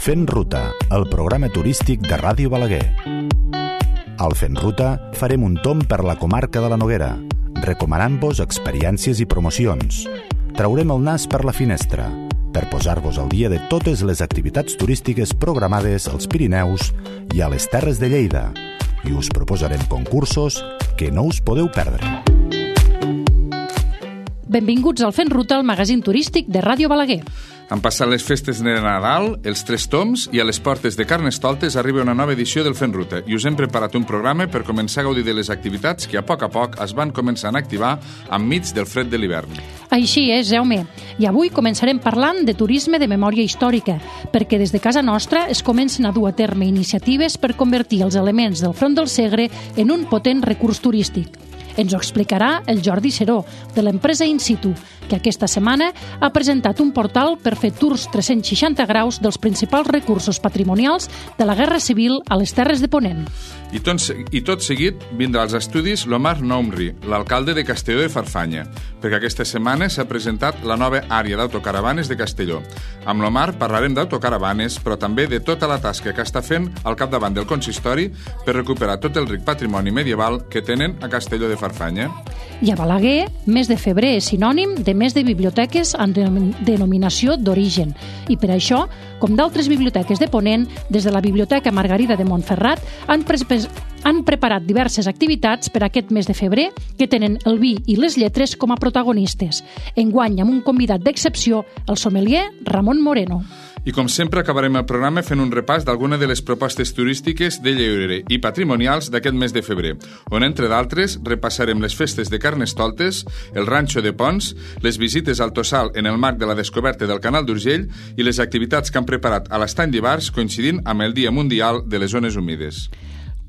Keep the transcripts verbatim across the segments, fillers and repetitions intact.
Fent Ruta, el programa turístic de Ràdio Balaguer. Al Fent Ruta farem un tomb per la comarca de la Noguera, recomanant-vos experiències i promocions. Traurem el nas per la finestra, per posar-vos al dia de totes les activitats turístiques programades als Pirineus i a les Terres de Lleida, i us proposarem concursos que no us podeu perdre. Benvinguts al Fent Ruta, el magazín turístic de Ràdio Balaguer. Han passat les festes de Nadal, els Tres Tombs, i a les portes de Carnestoltes arriba una nova edició del Fent Ruta, i us hem preparat un programa per començar a gaudir de les activitats que a poc a poc es van començant a activar enmig del fred de l'hivern. Així és, Jaume. I avui començarem parlant de turisme de memòria històrica, perquè des de casa nostra es comencen a dur a terme iniciatives per convertir els elements del Front del Segre en un potent recurs turístic. Ens ho explicarà el Jordi Seró, de l'empresa In Situ, que aquesta setmana ha presentat un portal per fer tours tres-cents seixanta graus dels principals recursos patrimonials de la Guerra Civil a les Terres de Ponent. I tot, i tot seguit vindrà als estudis l'Omar Noumri, l'alcalde de Castelló de Farfanya, perquè aquesta setmana s'ha presentat la nova àrea d'autocaravanes de Castelló. Amb l'Omar parlarem d'autocaravanes, però també de tota la tasca que està fent al capdavant del consistori per recuperar tot el ric patrimoni medieval que tenen a Castelló de Farfanya. I a Balaguer, mes de febrer és sinònim de mes de biblioteques amb denominació d'origen. I per això, com d'altres biblioteques de Ponent, des de la Biblioteca Margarida de Montferrat han, pre han preparat diverses activitats per aquest mes de febrer que tenen el vi i les lletres com a protagonistes. Enguany amb un convidat d'excepció, el sommelier Ramon Moreno. I com sempre acabarem el programa fent un repàs d'alguna de les propostes turístiques de lleure i patrimonials d'aquest mes de febrer, on entre d'altres repassarem les festes de Carnestoltes, el ranxo de Pons, les visites al Tossal en el marc de la descoberta del Canal d'Urgell i les activitats que han preparat a l'Estany d'Ivars coincidint amb el Dia Mundial de les Zones Humides.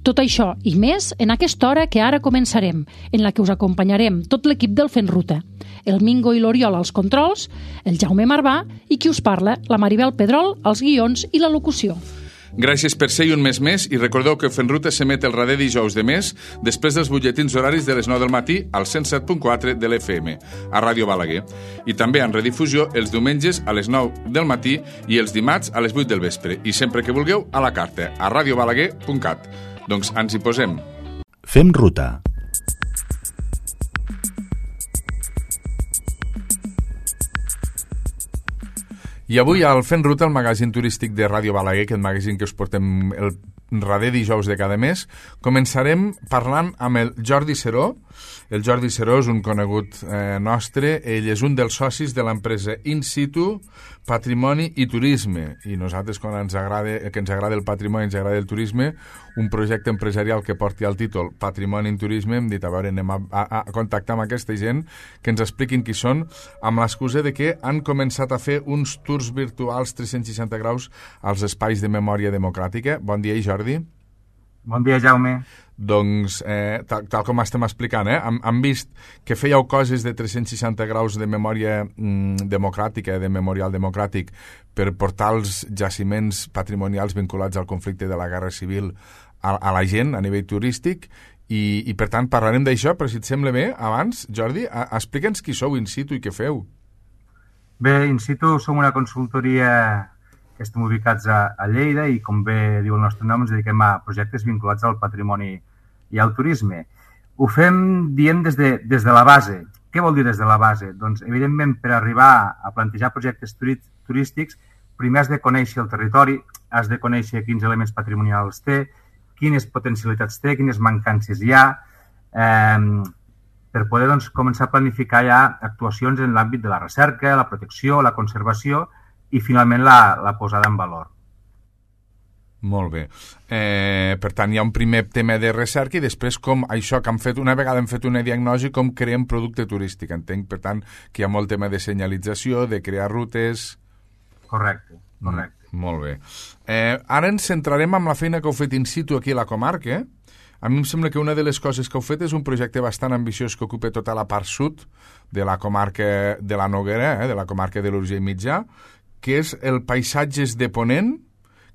Tot això i més en aquesta hora que ara començarem, en la que us acompanyarem tot l'equip del Fent Ruta. El Mingo i l'Oriol als controls, el Jaume Marvà i qui us parla, la Maribel Pedrol, als guions i la locució. Gràcies per ser-hi un mes més i recordeu que Fent Ruta s'emet el darrer dijous de mes després dels butlletins horaris de les nou del matí al cent set punt quatre de l'F M, a Ràdio Balaguer, i també en redifusió els diumenges a les nou del matí i els dimarts a les vuit del vespre, i sempre que vulgueu a la carta, a radiobalaguer punt cat. Doncs ens hi posem. Fem ruta. I avui al Fent Ruta, el magazín turístic de Ràdio Balaguer, aquest magazín que us portem el darrer dijous de cada mes, començarem parlant amb el Jordi Seró. El Jordi Seró és un conegut eh, nostre, ell és un dels socis de l'empresa In Situ, Patrimoni i Turisme, i nosaltres quan ens agrada, que ens agrada el patrimoni, ens agrada el turisme, un projecte empresarial que porti el títol Patrimoni i Turisme, hem dit, a veure, anem a, a, a contactar amb aquesta gent que ens expliquin qui són, amb l'excusa de que han començat a fer uns tours virtuals tres-cents seixanta graus als espais de memòria democràtica. Bon dia, Jordi. Bon dia, Jaume. Doncs, eh, tal, tal com estem explicant, eh, hem, hem vist que fèieu coses de tres-cents seixanta graus de memòria mm, democràtica, de memorial democràtic, per portar els jaciments patrimonials vinculats al conflicte de la Guerra Civil a, a la gent a nivell turístic, i, i per tant parlarem d'això, però si et sembla bé, abans, Jordi, a, explica'ns qui sou In Situ i què feu. Bé, In Situ som una consultoria que estem ubicats a, a Lleida i, com bé diu el nostre nom, ens dediquem a projectes vinculats al patrimoni i al turisme. Ho fem, diem, des de, des de la base. Què vol dir des de la base? Doncs, evidentment, per arribar a plantejar projectes turístics, primer has de conèixer el territori, has de conèixer quins elements patrimonials té, quines potencialitats té, quines mancances hi ha, eh, per poder doncs, començar a planificar ja actuacions en l'àmbit de la recerca, la protecció, la conservació i, finalment, la, la posada en valor. Molt bé. Eh, per tant, hi ha un primer tema de recerca i després com això que han fet, una vegada hem fet una diagnosi, com creem producte turístic. Entenc, per tant, que hi ha molt tema de senyalització, de crear rutes... Correcte, correcte. Mm, molt bé. Eh, ara ens centrarem en la feina que heu fet In Situ aquí a la comarca. A mi em sembla que una de les coses que heu fet és un projecte bastant ambiciós que ocupa tota la part sud de la comarca de la Noguera, eh, de la comarca de l'Urgell Mitjà, que és el Paisatges de Ponent,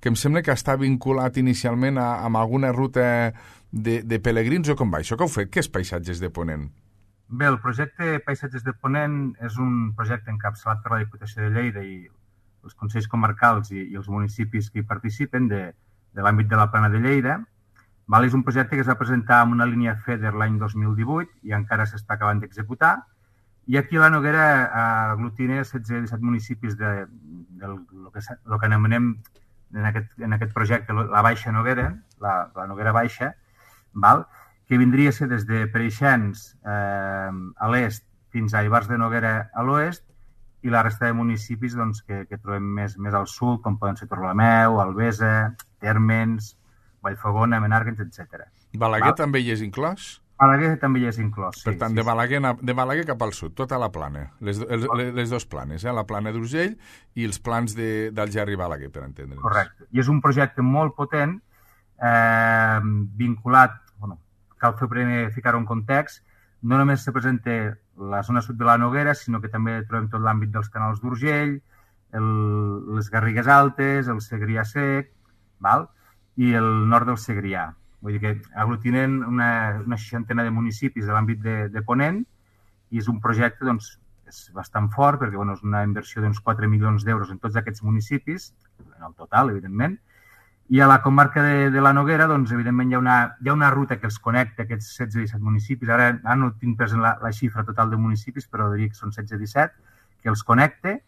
que em sembla que està vinculat inicialment a, a alguna ruta de, de pelegrins, o com va? Això que heu fet, què és Paisatges de Ponent? Bé, el projecte Paisatges de Ponent és un projecte encapçalat per la Diputació de Lleida i els consells comarcals i, i els municipis que hi participen de, de l'àmbit de la Plana de Lleida. Val? És un projecte que es va presentar amb una línia FEDER l'any dos mil divuit i encara s'està acabant d'executar. I aquí la Noguera aglutina setze o disset municipis de, del lo que, lo que anomenem en aquest, en aquest projecte la Baixa Noguera, la, la Noguera Baixa, val? Que vindria a ser des de Preixens eh, a l'est fins a Ivars de Noguera a l'oest i la resta de municipis doncs, que, que trobem més, més al sud, com poden ser Torrelameu, Albesa, Térmens, Vallfogona, Menàrguens, etcètera. Balaguer Val? També hi és inclòs? Balaguer també hi és inclòs, sí. Per tant, sí, de, Balaguer, de Balaguer cap al sud, tota la plana, les, les, les dos planes, eh? La plana d'Urgell i els plans d'Algerri i Balaguer, per entendre'ns. Correcte. I és un projecte molt potent, eh, vinculat, bueno, cal fer primer ficar-ho en context, no només se presenta la zona sud de la Noguera, sinó que també trobem tot l'àmbit dels canals d'Urgell, el, les Garrigues Altes, el Segrià Sec, val? I el nord del Segrià. Vull dir que aglutinen una, una seixantena de municipis de l'àmbit de, de Ponent i és un projecte doncs, és bastant fort perquè bueno, és una inversió d'uns quatre milions d'euros en tots aquests municipis, en el total, evidentment. I a la comarca de, de la Noguera, doncs, evidentment, hi ha, una, hi ha una ruta que els connecta, aquests setze o disset municipis. Ara, ara no tinc present la, la xifra total de municipis, però diria que són setze o disset, que els connecta.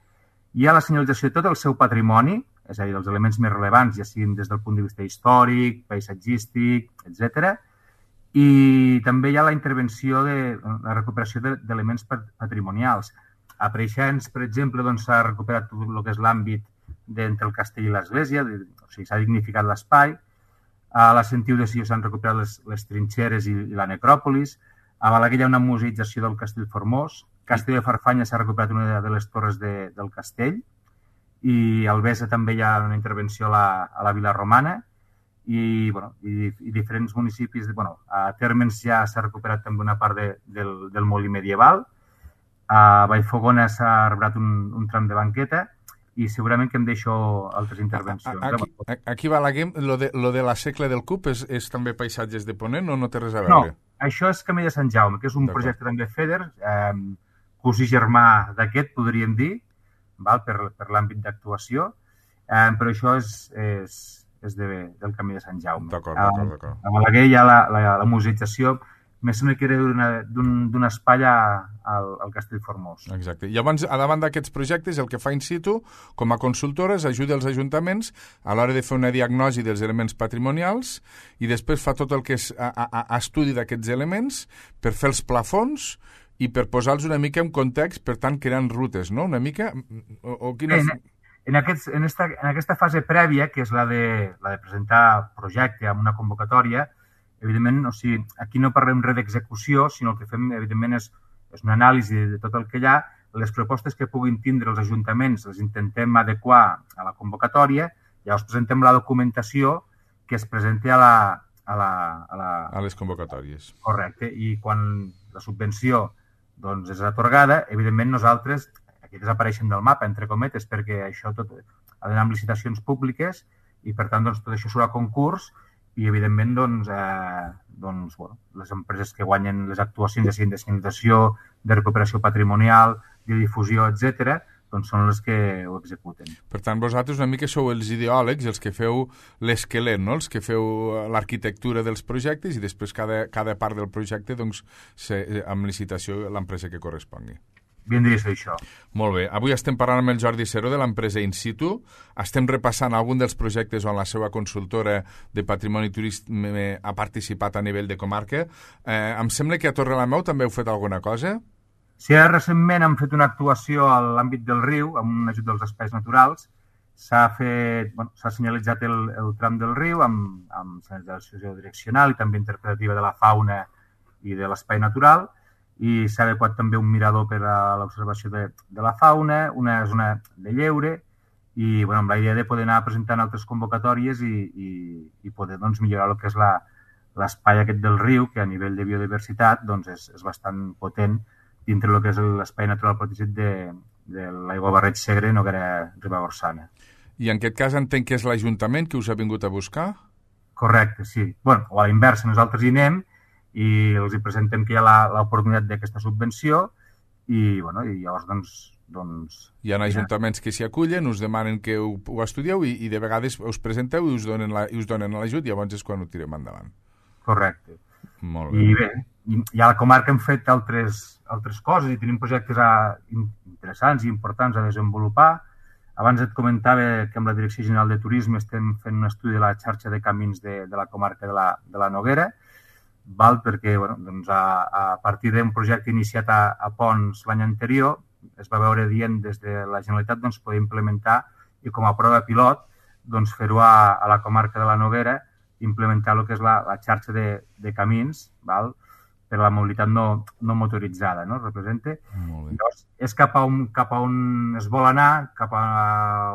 Hi ha la senyalització de tot el seu patrimoni, és a dir, els elements més rellevants, ja siguin des del punt de vista històric, paisatgístic, etcètera. I també hi ha la intervenció de la recuperació d'elements patrimonials. A Preixens, per exemple, doncs, s'ha recuperat tot el que és l'àmbit d'entre el castell i l'església, o sigui, s'ha dignificat l'espai. A la Sentiu de Sió s'han recuperat les, les trinxeres i, i la necròpolis. A Balaguer hi ha una museïtzació del castell Formós. Castell de Farfanya s'ha recuperat una de les torres de, del castell. I a Albesa també hi ha una intervenció a la, a la Vila Romana i, bueno, i, i diferents municipis. De, bueno, a Térmens ja s'ha recuperat també una part de, del, del molí medieval. A Vallfogona s'ha recuperat un, un tram de banqueta i segurament que em deixo altres intervencions. Aquí, aquí Balaguer, lo de, lo de la Segle del Cup és, és també paisatges de Ponent o no té res a veure? No, això és Camí de Sant Jaume, que és un projecte també FEDER, eh, cosí germà d'aquest, podríem dir, val? per, per l'àmbit d'actuació, eh, però això és, és, és de, del Camí de Sant Jaume. D'acord, d'acord, d'acord. A Balaguer hi ha la, la, la museïtzació, més sembla que era d'un espai al, al Castell Formós. Exacte. I llavors, a davant d'aquests projectes, el que fa in situ, com a consultores, ajuda els ajuntaments a l'hora de fer una diagnosi dels elements patrimonials i després fa tot el que és a, a, a estudi d'aquests elements per fer els plafons i per posar-los una mica en context, per tant, creant rutes, no? Una mica? O, o quines... en, en, aquests, en, esta, en aquesta fase prèvia, que és la de, la de presentar projecte amb una convocatòria, evidentment, o sigui, aquí no parlem res d'execució, sinó el que fem, evidentment, és, és una anàlisi de tot el que hi ha. Les propostes que puguin tindre els ajuntaments les intentem adequar a la convocatòria, llavors presentem la documentació que es presenti a la... A, la, a, la... a les convocatòries. Correcte, i quan la subvenció doncs, és atorgada, evidentment nosaltres, aquí desapareixen del mapa, entre cometes, perquè això tot ha d'anar amb licitacions públiques i, per tant, doncs, tot això surt a concurs i, evidentment, doncs, eh, doncs, bueno, les empreses que guanyen les actuacions, ja siguin de senyalització, de recuperació patrimonial, de difusió, etcètera, doncs són les que ho executen. Per tant, vosaltres una mica sou els ideòlegs, els que feu l'esquelet, no? Els que feu l'arquitectura dels projectes i després cada, cada part del projecte, doncs, se, amb licitació, l'empresa que correspongui. Vindria a ser això. Molt bé. Avui estem parlant amb el Jordi Seró de l'empresa In Situ. Estem repassant algun dels projectes on la seva consultora de patrimoni turístic ha participat a nivell de comarca. Eh, em sembla que a Torrelameu també heu fet alguna cosa? Sí, recentment hem fet una actuació a l'àmbit del riu, amb un ajut dels espais naturals. S'ha fet, bueno, s'ha senyalitzat el, el tram del riu amb, amb senyalització direccional i també interpretativa de la fauna i de l'espai natural. I s'ha adequat també un mirador per a l'observació de, de la fauna, una zona de lleure i bueno, amb la idea de poder anar presentant altres convocatòries i, i, i poder doncs, millorar el que és l'espai aquest del riu, que a nivell de biodiversitat doncs, és, és bastant potent dintre del que és l'espai natural protegit de, de l'aiguabarreig Segre, Noguera Ribagorçana. I en aquest cas entenc que és l'Ajuntament que us ha vingut a buscar? Correcte, sí. Bueno, o a la inversa, nosaltres hi anem i els hi presentem que hi ha l'oportunitat d'aquesta subvenció i, bueno, i llavors doncs, doncs... Hi ha ajuntaments que s'hi acullen, us demanen que ho, ho estudieu i, i de vegades us presenteu i us donen la, i us donen l'ajut i llavors és quan ho tirem endavant. Correcte. Molt bé. I bé, i a la comarca hem fet altres, altres coses i tenim projectes a, interessants i importants a desenvolupar. Abans et comentava que amb la Direcció General de Turisme estem fent un estudi de la xarxa de camins de, de la comarca de la, de la Noguera, val? Perquè bueno, doncs a, a partir d'un projecte iniciat a, a Pons l'any anterior es va veure dient des de la Generalitat doncs, poder implementar i com a prova pilot doncs, fer-ho a, a la comarca de la Noguera, implementar el que és la, la xarxa de, de camins, val? Per a la mobilitat no, no motoritzada, no? Representa. Llavors, és cap a, on, cap a on es vol anar, cap a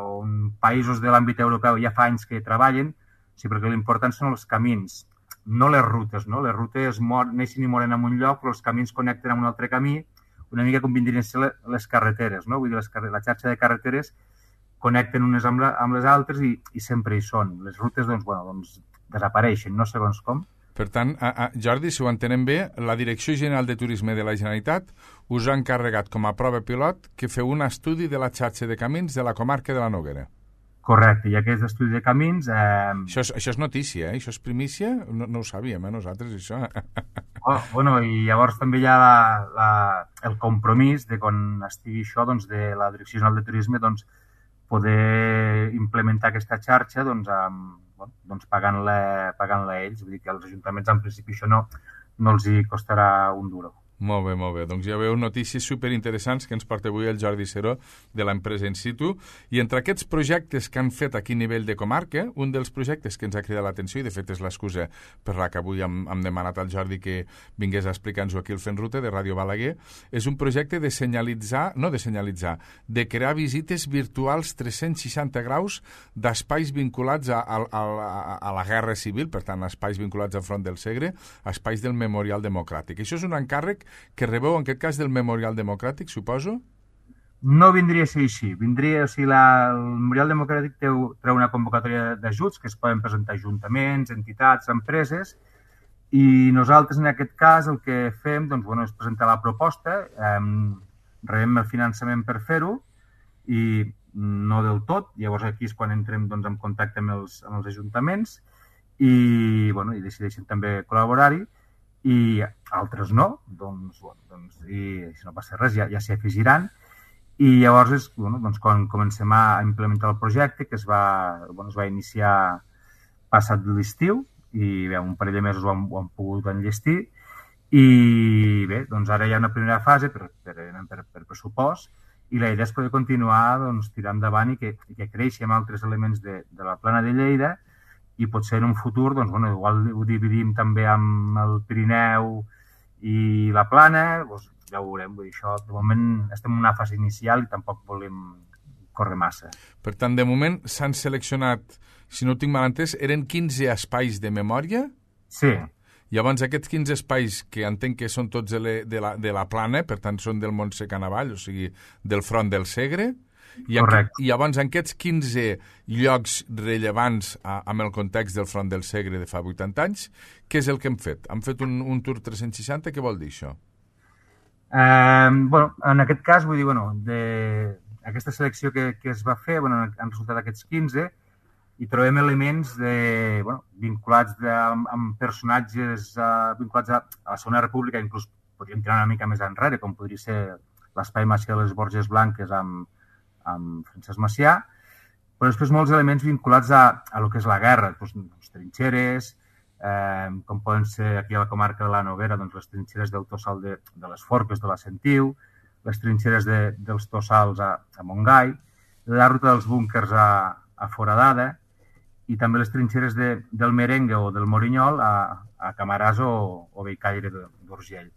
on països de l'àmbit europeu ja fa anys que treballen, sí, perquè l'important són els camins, no les rutes, no? Les rutes mor, neixen i moren en un lloc, però els camins connecten amb un altre camí, una mica com vindrien a ser les carreteres, no? Vull dir, les, la xarxa de carreteres connecten unes amb, la, amb les altres i, i sempre hi són. Les rutes, doncs, bueno, doncs, desapareixen, no segons com. Per tant, a, a, Jordi, si ho entenem bé, la Direcció General de Turisme de la Generalitat us ha encarregat com a prova pilot que feu un estudi de la xarxa de camins de la comarca de la Noguera. Correcte, i aquest estudi de camins... Eh... Això, és, això és notícia, eh? Això és primícia? No, no ho sabíem, eh, nosaltres, això. Oh, bueno, i llavors també hi ha la, la, el compromís de quan estigui això, doncs, de la Direcció General de Turisme, doncs, poder implementar aquesta xarxa, doncs, amb Bueno, doncs pagant-la pagant-la ells. Vull dir que als ajuntaments, en principi, això no, no els hi costarà un duro. Molt bé, molt bé. Doncs ja veu notícies superinteressants que ens porta avui el Jordi Seró de l'empresa In Situ. I entre aquests projectes que han fet aquí a nivell de comarca, un dels projectes que ens ha cridat l'atenció, i de fet és l'excusa per la que avui hem, hem demanat al Jordi que vingués a explicar-nos-ho aquí al Fent Ruta de Ràdio Balaguer, és un projecte de senyalitzar, no de senyalitzar, de crear visites virtuals tres-cents seixanta graus d'espais vinculats a, a, a, a la Guerra Civil, per tant, espais vinculats al Front del Segre, espais del Memorial Democràtic. Això és un encàrrec que rebeu, en aquest cas, del Memorial Democràtic, suposo? No vindria a ser així. Vindria, o sigui, la, el Memorial Democràtic treu, treu una convocatòria d'ajuts que es poden presentar ajuntaments, entitats, empreses, i nosaltres, en aquest cas, el que fem doncs, bueno, és presentar la proposta, eh, rebem el finançament per fer-ho, i no del tot. Llavors, aquí és quan entrem doncs, en contacte amb els, amb els ajuntaments i, bueno, i decideixen també col·laborar-hi. I altres no, doncs, bueno, doncs i si no passa res ja, ja s'hi afegiran. I llavors és bueno, doncs, quan comencem a implementar el projecte, que es va, bueno, es va iniciar passat l'estiu, i bé, un parell de mesos ho han, ho han pogut enllestir, i bé, doncs ara hi ha una primera fase per, per, per, per pressupost, i la idea és poder continuar doncs, tirar endavant i que, i que creixi amb altres elements de, de la plana de Lleida, i potser en un futur, doncs, bueno, igual ho dividim també amb el Pirineu i la Plana, doncs ja ho veurem. Vull dir, això, de moment estem en una fase inicial i tampoc volem córrer massa. Per tant, de moment s'han seleccionat, si no ho tinc mal entès, eren quinze espais de memòria? Sí. Llavors, aquests quinze espais, que entenc que són tots de la, de la Plana, per tant, són del Montse Canavall, o sigui, del Front del Segre, I, en, I llavors, en aquests quinze llocs rellevants a, amb el context del Front del Segre de fa vuitanta anys, què és el que hem fet? Hem fet un, un tour tres-cents seixanta? Què vol dir això? Eh, bueno, en aquest cas, vull dir, bueno, de aquesta selecció que, que es va fer, bueno, han resultat aquests quinze, i trobem elements de, bueno, vinculats de, amb, amb personatges uh, vinculats a, a la Segona República, inclús podríem tirar una mica més enrere, com podria ser l'espai Macià de les Borges Blanques amb amb Francesc Macià, però després molts elements vinculats a, a lo que és la guerra, doncs, doncs trinxeres, eh, com poden ser aquí a la comarca de la Noguera, doncs les trinxeres del Tossal de, de les Forques de la Sentiu, les trinxeres de, dels Tossals a, a Montgai, la ruta dels búnkers a, a Foradada i també les trinxeres de, del Merengue o del Morinyol a, a Camaràs o, o Bellcaire d'Urgell.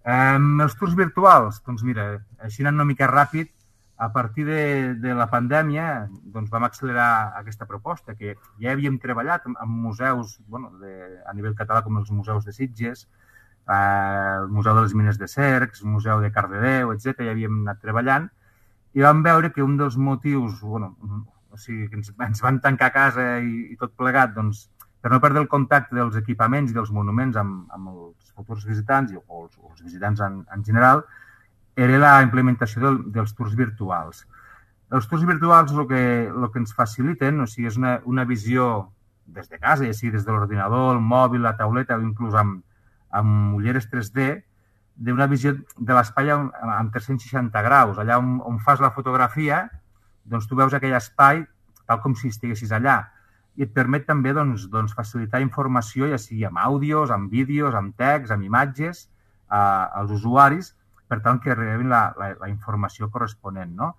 Eh, els tours virtuals, doncs mira, així anant una mica ràpid, a partir de, de la pandèmia doncs vam accelerar aquesta proposta, que ja havíem treballat amb, amb museus bueno, de, a nivell català, com els museus de Sitges, eh, el Museu de les Mines de Cercs, el Museu de Cardedeu, etcètera. Ja havíem anat treballant i vam veure que un dels motius, bueno, o sigui, que ens, ens van tancar a casa i, i tot plegat, doncs, per no perdre el contacte dels equipaments i dels monuments amb, amb els futurs visitants o els, o els visitants en, en general, era la implementació del, dels tours virtuals. Els tours virtuals el que, el que ens faciliten, o sigui, és una, una visió des de casa, ja sigui des de l'ordinador, el mòbil, la tauleta o inclús amb, amb ulleres tres D, d'una visió de l'espai amb, amb tres-cents seixanta graus. Allà on, on fas la fotografia, doncs tu veus aquell espai tal com si estiguessis allà. I et permet també doncs, doncs, facilitar informació, ja sigui amb àudios, amb vídeos, amb text, amb imatges, a, als usuaris, per tant que rebin la, la, la informació corresponent, no?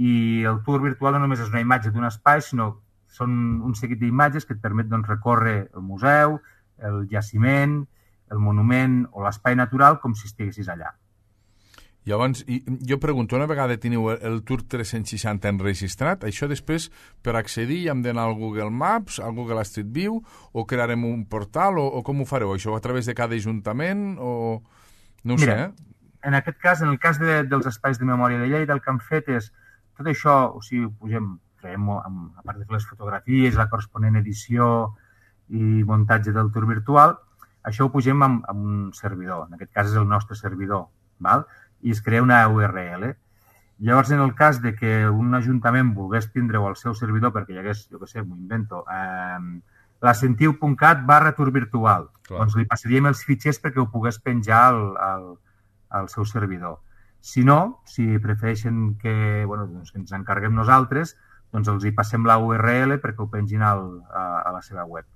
I el tour virtual no només és una imatge d'un espai, sinó són un seguit d'imatges que et permet doncs, recórrer el museu, el jaciment, el monument o l'espai natural com si estiguessis allà. Llavors, jo pregunto, una vegada teniu el Tour tres-cents seixanta enregistrat, això després, per accedir, hem d'anar al Google Maps, al Google Street View, o crearem un portal, o, o com ho fareu? Això a través de cada ajuntament, o... No ho Mira, sé, eh? En aquest cas, en el cas de, dels espais de memòria de Lleida, el que han fet és tot això, o sigui, pugem, creem, a part de les fotografies, la corresponent edició i muntatge del tour virtual, això ho pugem amb, amb un servidor. En aquest cas és el nostre servidor, val? I es crea una U R L. Llavors, en el cas de que un ajuntament volgués tindre-ho al seu servidor, perquè hi hagués, jo què sé, m'ho invento, eh, lacentiu punt cat barra tour virtual, Clar. Doncs li passaríem els fitxers perquè ho pogués penjar al, al, al seu servidor. Si no, si prefereixen que, bueno, doncs que ens encarguem nosaltres, doncs els hi passem la U R L perquè ho pengin al, a, a la seva web.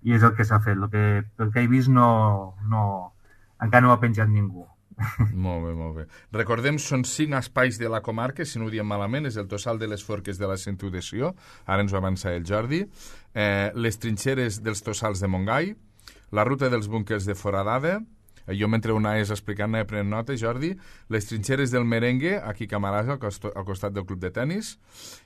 I és el que s'ha fet. El que, el que he vist no, no, encara no ho ha penjat ningú. Molt bé, molt bé. Recordem, són cinc espais de la comarca, si no ho diem malament, és el Tossal de les Forques de la Sentiu de Sió, ara ens ho avança el Jordi, eh, les trinxeres dels Tossals de Montgai, la ruta dels búnquers de Foradada, jo mentre ho anaves explicant anava prenent nota, Jordi, les trinxeres del Merengue, aquí a Camarasa, al, cost al costat del club de tennis,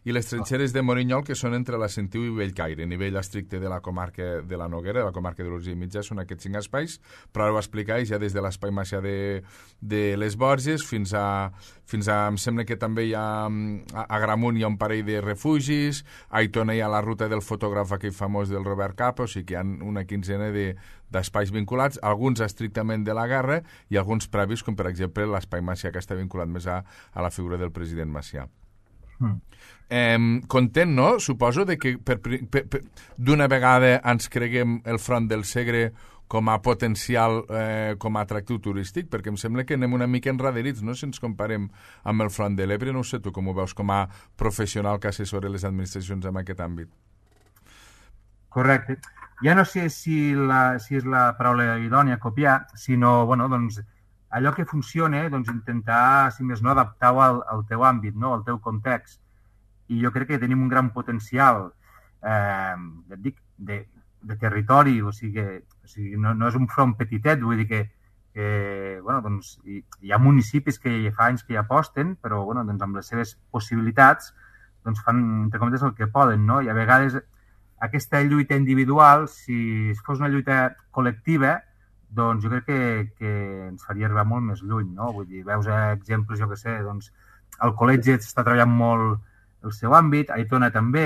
i les trinxeres de Morinyol, que són entre la Sentiu i Bellcaire, a nivell estricte de la comarca de la Noguera, de la comarca de l'Urgell Mitjà, són aquests cinc espais, però ara ho explicais ja des de l'espai Macià de, de les Borges fins a, fins a, em sembla que també hi ha, a, a Gramunt hi ha un parell de refugis, a Aitona hi ha la ruta del fotògraf aquell famós del Robert Capa, o sigui que hi ha una quinzena de d'espais vinculats, alguns estrictament de la guerra i alguns previs, com per exemple l'espai Macià, que està vinculat més a, a la figura del president Macià. Mm. Eh, content, no? Suposo de que per, per, per, d'una vegada ens creguem el Front del Segre com a potencial, eh, com a atractiu turístic, perquè em sembla que anem una mica enraderits, no?, si ens comparem amb el Front de l'Ebre. No sé tu com ho veus com a professional que assessora les administracions en aquest àmbit. Correcte. Ja no sé si, la, si és la paraula idònia copiar, sinó, bueno, doncs, allò que funciona, doncs, intentar, si més no, adaptar-ho al, al teu àmbit, no?, al teu context. I jo crec que tenim un gran potencial, eh, et dic, de, de territori, o sigui, o sigui no, no és un front petitet, vull dir que, que bueno, doncs, hi, hi ha municipis que fa anys que hi aposten, però, bueno, doncs, amb les seves possibilitats, doncs, fan, entre comptes, el que poden, no?, i a vegades aquesta lluita individual, si fos una lluita col·lectiva, doncs jo crec que, que ens faria arribar molt més lluny, no? Vull dir, veus exemples, jo què sé, doncs el col·legi està treballant molt el seu àmbit, a Aitona també,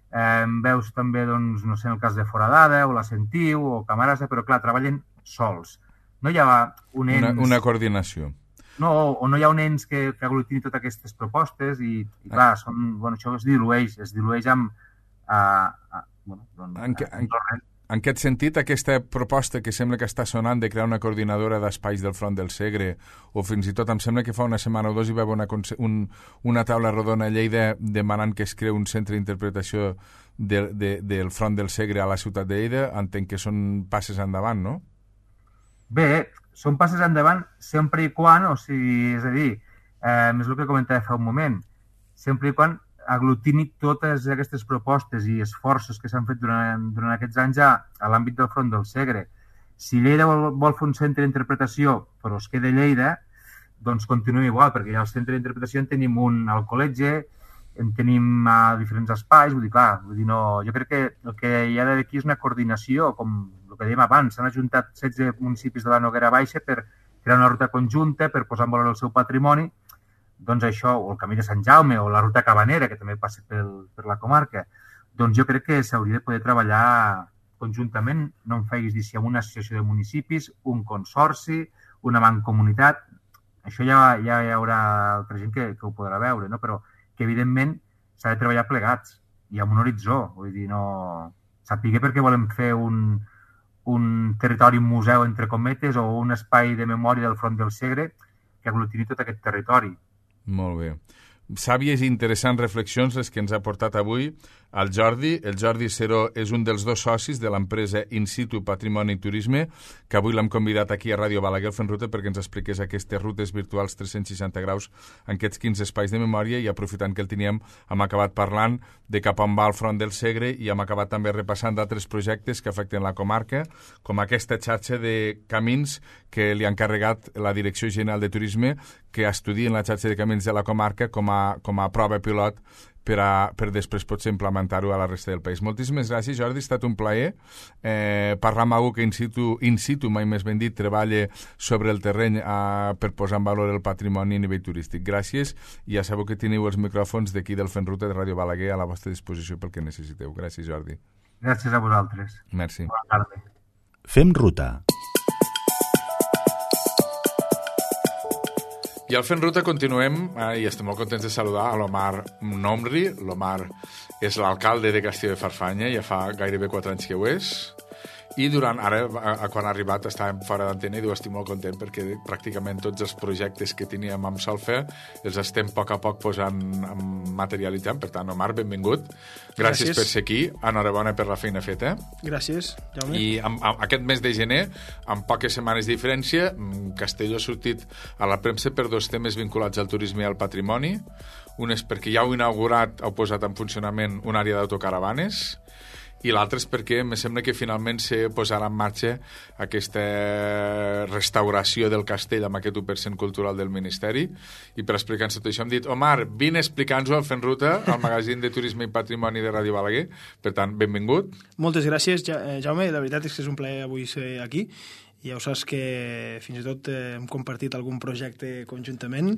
eh, veus també, doncs, no sé, en el cas de Foradada, o la Sentiu, o Camarasa, però clar, treballen sols. No hi ha un ens... Una, una coordinació. No, o no hi ha un ens que, que aglutini totes aquestes propostes i, i clar, són, bueno, això es dilueix, es dilueix amb... A, a, bueno, doncs, en, que, en, en aquest sentit, aquesta proposta que sembla que està sonant de crear una coordinadora d'espais del Front del Segre, o fins i tot em sembla que fa una setmana o dos hi va haver una, un, una taula rodona a Lleida demanant que es creu un centre d'interpretació de, de, del Front del Segre a la ciutat de Lleida, entenc que són passes endavant, no? Bé, són passes endavant sempre i quan, o sigui, és a dir, eh, és el que comentava fa un moment, sempre i quan aglutini totes aquestes propostes i esforços que s'han fet durant, durant aquests anys a, a l'àmbit del Front del Segre. Si Lleida vol, vol fer un centre d'interpretació però es queda a Lleida, doncs continua igual, perquè ja al centre d'interpretació en tenim un al col·legi, en tenim a diferents espais, vull dir, clar, vull dir, no, jo crec que el que hi ha d'aquí és una coordinació, com el que dèiem abans, s'han ajuntat setze municipis de la Noguera Baixa per crear una ruta conjunta, per posar en valor el seu patrimoni, doncs això, o el Camí de Sant Jaume, o la ruta Cabanera, que també passa pel, per la comarca, doncs jo crec que s'hauria de poder treballar conjuntament, no em facis dir si amb una associació de municipis, un consorci, una mancomunitat, això ja, ja hi haurà altra gent que, que ho podrà veure, no? Però que evidentment s'ha de treballar plegats i amb un horitzó, vull dir, no... Sàpiga perquè volem fer un, un territori museu, entre cometes, o un espai de memòria del Front del Segre que aglutini tot aquest territori. Molt bé. Sàvies i interessants reflexions les que ens ha portat avui el Jordi. El Jordi Seró és un dels dos socis de l'empresa In Situ Patrimoni i Turisme, que avui l'hem convidat aquí a Ràdio Balaguer al Fent Ruta perquè ens expliqués aquestes rutes virtuals tres-cents seixanta graus en aquests quinze espais de memòria, i aprofitant que el teníem hem acabat parlant de cap on va el Front del Segre i hem acabat també repassant d'altres projectes que afecten la comarca, com aquesta xarxa de camins que li ha encarregat la Direcció General de Turisme, que estudien la xarxa de camins de la comarca com a, com a prova pilot per, a, per després potser implementar-ho a la resta del país. Moltíssimes gràcies, Jordi, ha estat un plaer eh, parlar amb algú que in situ, in situ, mai més ben dit, treballa sobre el terreny eh, per posar en valor el patrimoni a nivell turístic. Gràcies, i ja sabeu que teniu els micròfons d'aquí del Fent Ruta de Ràdio Balaguer a la vostra disposició pel que necessiteu. Gràcies, Jordi. Gràcies a vosaltres. Merci. Bona tarda. Fem ruta. I al Fent Ruta continuem, eh, i estem molt contents de saludar a l'Omar Nomri. L'Omar és l'alcalde de Castelló de Farfanya, ja fa gairebé quatre anys que ho és, i durant, ara, a, quan ha arribat, estàvem fora d'antena i diu, estic molt content perquè pràcticament tots els projectes que teníem amb Solfa els estem a poc a poc posant, materialitzant. Per tant, Omar, benvingut. Gràcies, Gràcies per ser aquí. Enhorabona per la feina feta. Gràcies, Jaume. I amb, amb aquest mes de gener, amb poques setmanes de diferència, Castelló ha sortit a la premsa per dos temes vinculats al turisme i al patrimoni. Un és perquè ja heu inaugurat, heu posat en funcionament una àrea d'autocaravanes, i l'altre és perquè em sembla que finalment se posarà en marxa aquesta restauració del castell amb aquest u per cent cultural del Ministeri. I per explicar-nos tot això hem dit, Omar, vine a explicar-nos-ho al Fent Ruta, al magazín de Turisme i Patrimoni de Ràdio Balaguer. Per tant, benvingut. Moltes gràcies, Jaume. La veritat és que és un plaer avui ser aquí. I ja ho saps que fins i tot eh, hem compartit algun projecte conjuntament,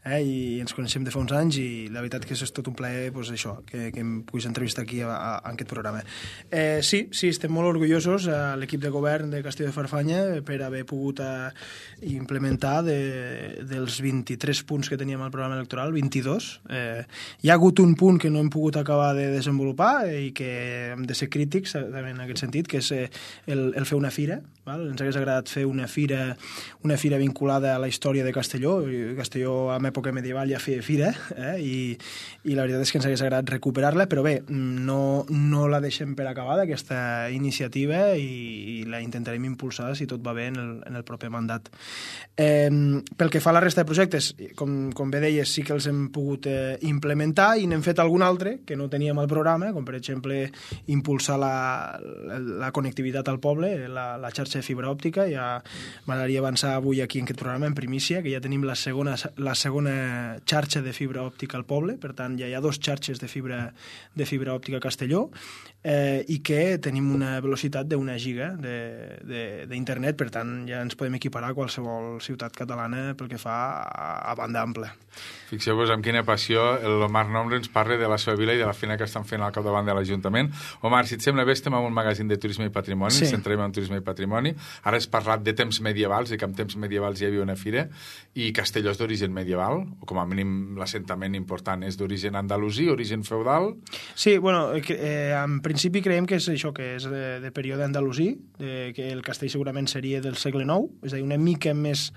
eh, i ens coneixem de fa uns anys, i la veritat que és tot un plaer, pues, això, que, que em puguis entrevistar aquí a, a, a aquest programa. Eh, sí, sí, estem molt orgullosos a l'equip de govern de Castelló de Farfanya per haver pogut a, implementar de, dels vint-i-tres punts que teníem al programa electoral, vint-i-dos. Eh, hi ha hagut un punt que no hem pogut acabar de desenvolupar i que hem de ser crítics també en aquest sentit, que és el, el fer una fira. Val? Ens hagués agradat fer una fira, una fira vinculada a la història de Castelló. Castelló en època medieval ja feia fira, eh? I, i la veritat és que ens hagués agradat recuperar-la, però bé, no, no la deixem per acabada, aquesta iniciativa, i, i la intentarem impulsar, si tot va bé, en el, en el proper mandat. Eh, pel que fa a la resta de projectes, com, com bé deies, sí que els hem pogut eh, implementar, i n'hem fet algun altre que no teníem al programa, com per exemple impulsar la, la, la connectivitat al poble, la, la xarxa de fibra òptica. Ja m'agradaria avançar avui aquí en aquest programa en primícia, que ja tenim la segona, la segona xarxa de fibra òptica al poble. Per tant, ja hi ha dos xarxes de fibra, de fibra òptica a Castelló, eh, i que tenim una velocitat d'una giga d'internet. Per tant, ja ens podem equiparar a qualsevol ciutat catalana pel que fa a, a banda ampla. Fixeu-vos amb quina passió l'Omar Nomri ens parla de la seva vila i de la feina que estan fent al capdavant de l'Ajuntament. Omar, si et sembla bé, estem en un magazín de turisme i patrimoni, sí. Ens centrem en turisme i patrimoni. Ara has parlat de temps medievals, i que en temps medievals hi havia una fira, i Castelló és d'origen medieval, o com a mínim l'assentament important és d'origen andalusí, origen feudal? Sí, bueno, eh, en principi creiem que és això, que és de, de període andalusí, de, que el castell segurament seria del segle nou, és a dir, una mica més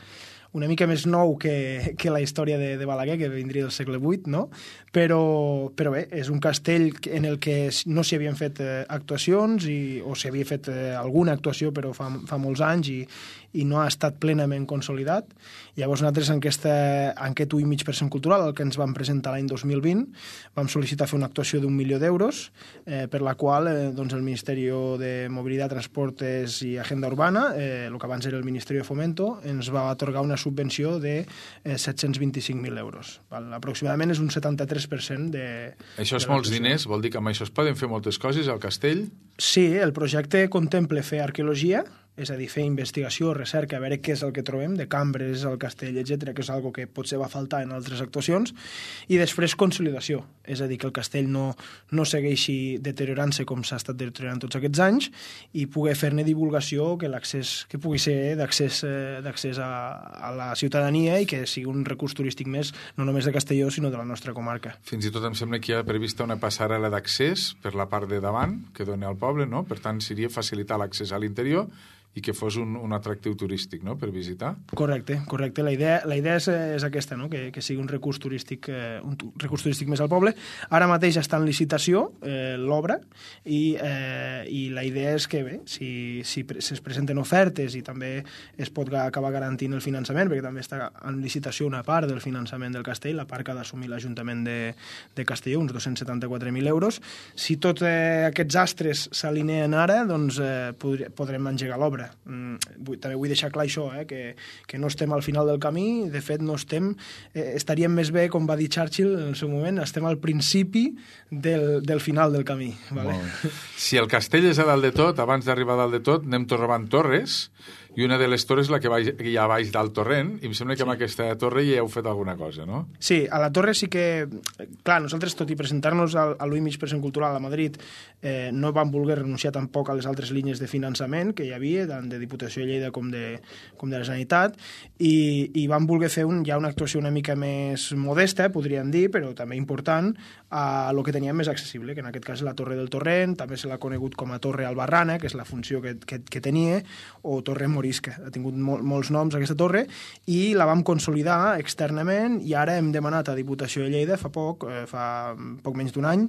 una mica més nou que, que la història de, de Balaguer, que vindria del segle vuit, no? Però, però bé, és un castell en el que no s'hi havien fet eh, actuacions, i, o s'hi havia fet eh, alguna actuació, però fa, fa molts anys, i, i no ha estat plenament consolidat. Llavors nosaltres en, aquesta, en aquest u i mig per cent cultural, el que ens vam presentar l'any dos mil vint, vam sol·licitar fer una actuació d'un milió d'euros, eh, per la qual eh, doncs el Ministeri de Mobilitat, Transportes i Agenda Urbana, eh, el que abans era el Ministeri de Fomento, ens va atorgar una subvenció de eh, set-cents vint-i-cinc mil euros. Val? Aproximadament és un setanta-tres per cent de... Això és molts diners? Vol dir que amb això es poden fer moltes coses al castell? Sí, el projecte contempla fer arqueologia, és a dir, fer investigació, recerca, a veure què és el que trobem, de cambres al castell, etcètera, que és algo que potser va faltar en altres actuacions, i després consolidació, és a dir, que el castell no, no segueixi deteriorant-se com s'ha estat deteriorant tots aquests anys i poder fer-ne divulgació, que l'accés que pugui ser d'accés eh, d'accés a, a la ciutadania i que sigui un recurs turístic més, no només de Castelló, sinó de la nostra comarca. Fins i tot em sembla que hi ha prevista una passarel·la d'accés per la part de davant, que dona al poble, no? Per tant, seria facilitar l'accés a l'interior i que fos un, un atractiu turístic, no?, per visitar. Correcte, correcte. La idea, la idea és, és aquesta, no?, que, que sigui un recurs turístic eh, un recurs turístic més al poble. Ara mateix està en licitació eh, l'obra i, eh, i la idea és que, bé, si, si es presenten ofertes i també es pot acabar garantint el finançament, perquè també està en licitació una part del finançament del castell, la part que ha d'assumir l'Ajuntament de, de Castelló, uns dos-cents setanta-quatre mil euros. Si tots eh, aquests astres s'alineen ara, doncs eh, podrem, podrem engegar l'obra. Mm, també vull deixar clar això, eh, que, que no estem al final del camí, de fet no estem, eh, estaríem més bé, com va dir Churchill en el seu moment, estem al principi del, del final del camí. Vale? Si el castell és a dalt de tot, abans d'arribar a dalt de tot, anem trobant torres, i una de les torres la que hi ha a baix del torrent, i em sembla que amb aquesta torre ja heu fet alguna cosa, no? Sí, a la torre sí que... Clar, nosaltres, tot i presentar-nos a l'U I Mig Present Cultural a Madrid, eh, no vam voler renunciar tampoc a les altres línies de finançament que hi havia, tant de Diputació de Lleida com de, com de la Generalitat, i, i vam voler fer un, ja una actuació una mica més modesta, podríem dir, però també important, a lo que teníem més accessible, que en aquest cas és la Torre del Torrent, també se l'ha conegut com a Torre Albarrana, que és la funció que, que, que tenia, o Torre Morisca. Ha tingut mol, molts noms aquesta torre, i la vam consolidar externament, i ara hem demanat a Diputació de Lleida, fa poc, eh, fa poc menys d'un any,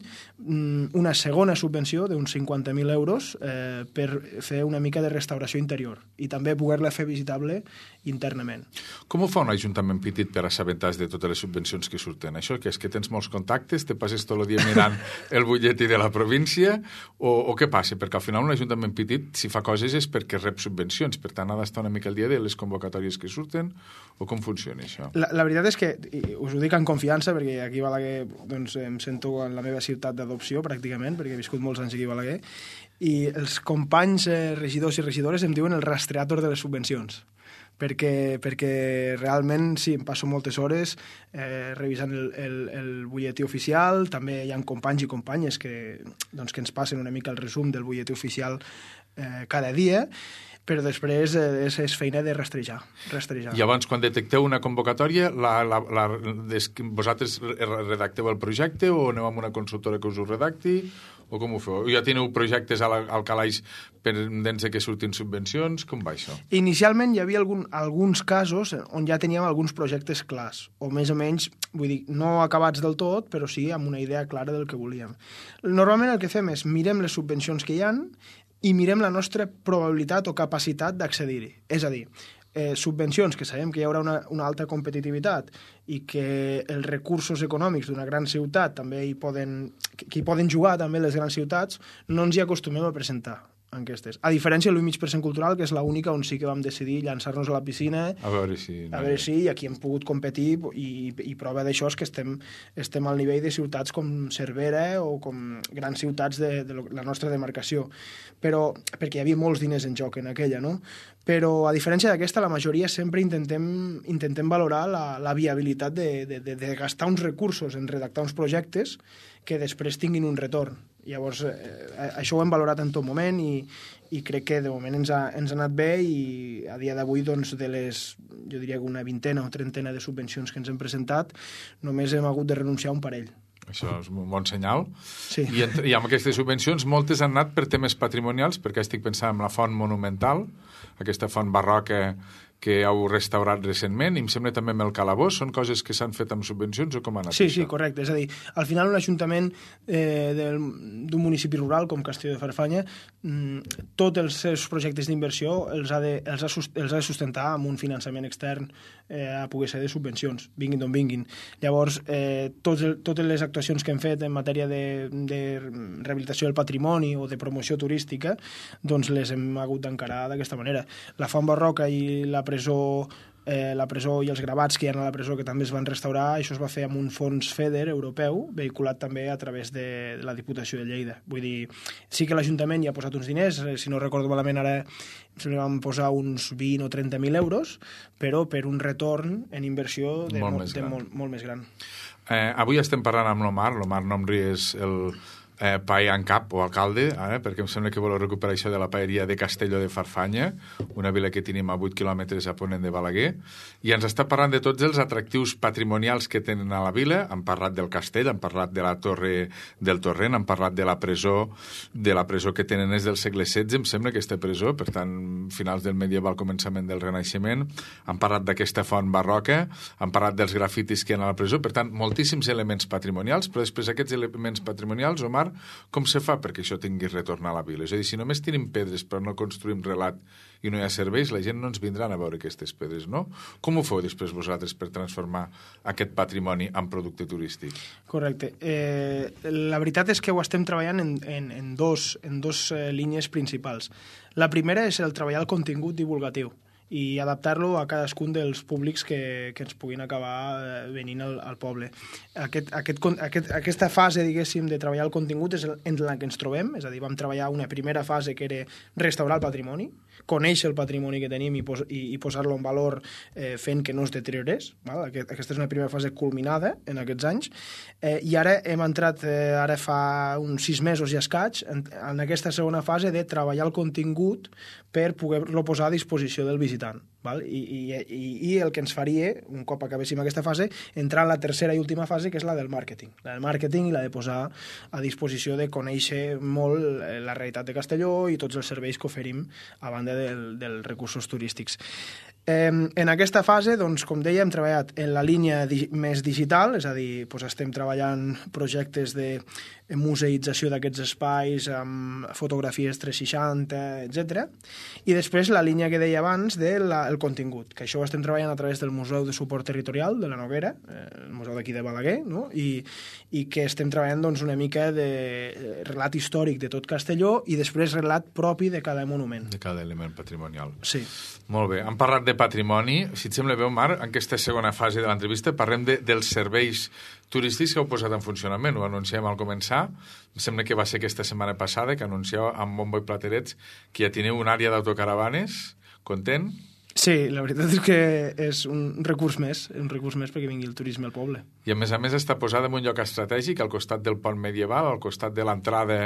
una segona subvenció d'uns cinquanta mil euros eh, per fer una mica de restauració interior, i també poder-la fer visitable internament. Com ho fa un ajuntament petit per assabentar de totes les subvencions que surten? Això que és que tens molts contactes, te passes tot el dia mirant el butlletí de la província, o, o què passa? Perquè al final un ajuntament petit, si fa coses és perquè rep subvencions, per tant ha d'estar una mica al dia de les convocatòries que surten, o com funciona això? La, la veritat és que, us ho dic en confiança, perquè aquí a Balaguer doncs, em sento en la meva ciutat d'adopció, pràcticament, perquè he viscut molts anys aquí a Balaguer, i els companys eh, regidors i regidores em diuen el rastreador de les subvencions. Perquè, perquè realment sí, em passo moltes hores eh, revisant el, el, el butlletí oficial, també hi ha companys i companyes que, doncs, que ens passen una mica el resum del butlletí oficial eh, cada dia, però després eh, és, és feina de rastrejar, rastrejar. I abans, quan detecteu una convocatòria, la, la, la, des, vosaltres redacteu el projecte o aneu amb una consultora que us ho redacti? O com ho feu? Ja teniu projectes al, al calaix pendents que surtin subvencions? Com va això? Inicialment hi havia algun, alguns casos on ja teníem alguns projectes clars, o més o menys, vull dir, no acabats del tot, però sí amb una idea clara del que volíem. Normalment el que fem és mirem les subvencions que hi han i mirem la nostra probabilitat o capacitat d'accedir-hi. És a dir, eh, subvencions que sabem que hi haurà una, una alta competitivitat i que els recursos econòmics d'una gran ciutat també hi poden, que hi poden jugar també les grans ciutats, no ens hi acostumem a presentar enquestes. A diferència de l'U I Mig Present Cultural, que és l'única on sí que vam decidir llançar-nos a la piscina, a veure si, a veure si i aquí hem pogut competir, i, i prova d'això és que estem, estem al nivell de ciutats com Cervera o com grans ciutats de, de la nostra demarcació, però perquè hi havia molts diners en joc en aquella, no? Però a diferència d'aquesta, la majoria sempre intentem, intentem valorar la, la viabilitat de, de, de, de gastar uns recursos en redactar uns projectes que després tinguin un retorn. Llavors, eh, això ho hem valorat en tot moment i, i crec que de moment ens ha, ens ha anat bé, i a dia d'avui, doncs, de les, jo diria que una vintena o trentena de subvencions que ens hem presentat, només hem hagut de renunciar a un parell. Això és un bon senyal. Sí. I, entre, I amb aquestes subvencions moltes han anat per temes patrimonials, perquè estic pensant en la font monumental, aquesta font barroca que heu restaurat recentment, i em sembla també amb el calabós. Són coses que s'han fet amb subvencions o com ha anat sí, això? Sí, correcte. És a dir, al final un ajuntament eh, d'un municipi rural com Castelló de Farfanya, mm, tots els seus projectes d'inversió els, ha de, els, ha, els ha de sustentar amb un finançament extern eh, a poder ser de subvencions, vinguin d'on vinguin. Llavors, eh, tots el, totes les actuacions que hem fet en matèria de, de rehabilitació del patrimoni o de promoció turística, doncs les hem hagut d'encarar d'aquesta manera. La font barroca i la presó eh, la presó i els gravats que hi ha a la presó, que també es van restaurar. Això es va fer amb un fons FEDER europeu, vehiculat també a través de, de la Diputació de Lleida. Vull dir, sí que l'Ajuntament hi ha posat uns diners, si no recordo malament ara se li van posar uns vint o trenta mil euros, però per un retorn en inversió de molt, molt, més, de gran. molt, molt més gran. Eh, avui estem parlant amb l'Omar. L'Omar Nomri és el eh, paella en cap o alcalde, eh, perquè em sembla que voleu recuperar això de la paeria de Castelló de Farfanya, una vila que tenim a vuit quilòmetres a ponent de Balaguer, i ens està parlant de tots els atractius patrimonials que tenen a la vila. Han parlat del castell, han parlat de la torre del Torrent, han parlat de la presó, de la presó que tenen és del segle setze, em sembla, aquesta presó, per tant, finals del medieval, començament del Renaixement. Han parlat d'aquesta font barroca, han parlat dels grafitis que hi ha a la presó, per tant, moltíssims elements patrimonials, però després aquests elements patrimonials, Omar, com se fa perquè això tingui retorn a la vila? És a dir, si només tenim pedres però no construïm relat i no hi ha serveis, la gent no ens vindran a veure aquestes pedres, no? Com ho feu després vosaltres per transformar aquest patrimoni en producte turístic? Correcte. Eh, la veritat és que ho estem treballant en, en, en dos, en dos eh, línies principals. La primera és el treballar el contingut divulgatiu i adaptar-lo a cadascun dels públics que, que ens puguin acabar venint al, al poble. Aquest, aquest, aquest, aquesta fase, diguéssim, de treballar el contingut és en la que ens trobem, és a dir, vam treballar una primera fase que era restaurar el patrimoni, conèixer el patrimoni que tenim i, pos, i, i posar-lo en valor eh, fent que no es deteriorés. Val? Aquest, aquesta és una primera fase culminada en aquests anys. Eh, I ara hem entrat, eh, ara fa uns sis mesos i escaig, en, en aquesta segona fase de treballar el contingut per poder-lo posar a disposició del visitant. Val? I, i, i, I el que ens faria, un cop acabéssim aquesta fase, entrar en la tercera i última fase, que és la del màrqueting. La del màrqueting i la de posar a disposició de conèixer molt la realitat de Castelló i tots els serveis que oferim a banda del, dels recursos turístics. Eh, en aquesta fase, doncs, com deia, hem treballat en la línia di més digital, és a dir, doncs estem treballant projectes de museïtzació d'aquests espais amb fotografies tres seixanta, etcètera. I després la línia que deia abans del contingut, que això ho estem treballant a través del Museu de Suport Territorial de la Noguera, eh, el museu d'aquí de Balaguer, no? I, i que estem treballant doncs, una mica de relat històric de tot Castelló i després relat propi de cada monument. De cada element patrimonial. Sí. Molt bé. Hem parlat de patrimoni. Si et sembla bé, Omar, en aquesta segona fase de l'entrevista parlem de, dels serveis turístics que heu posat en funcionament. Ho anunciem al començar. Em sembla que va ser aquesta setmana passada que anuncieu amb bombo i platerets que ja teniu una àrea d'autocaravanes. Content? Sí, la veritat és que és un recurs més, un recurs més perquè vingui el turisme al poble. I a més a més està posada en un lloc estratègic al costat del pont medieval, al costat de l'entrada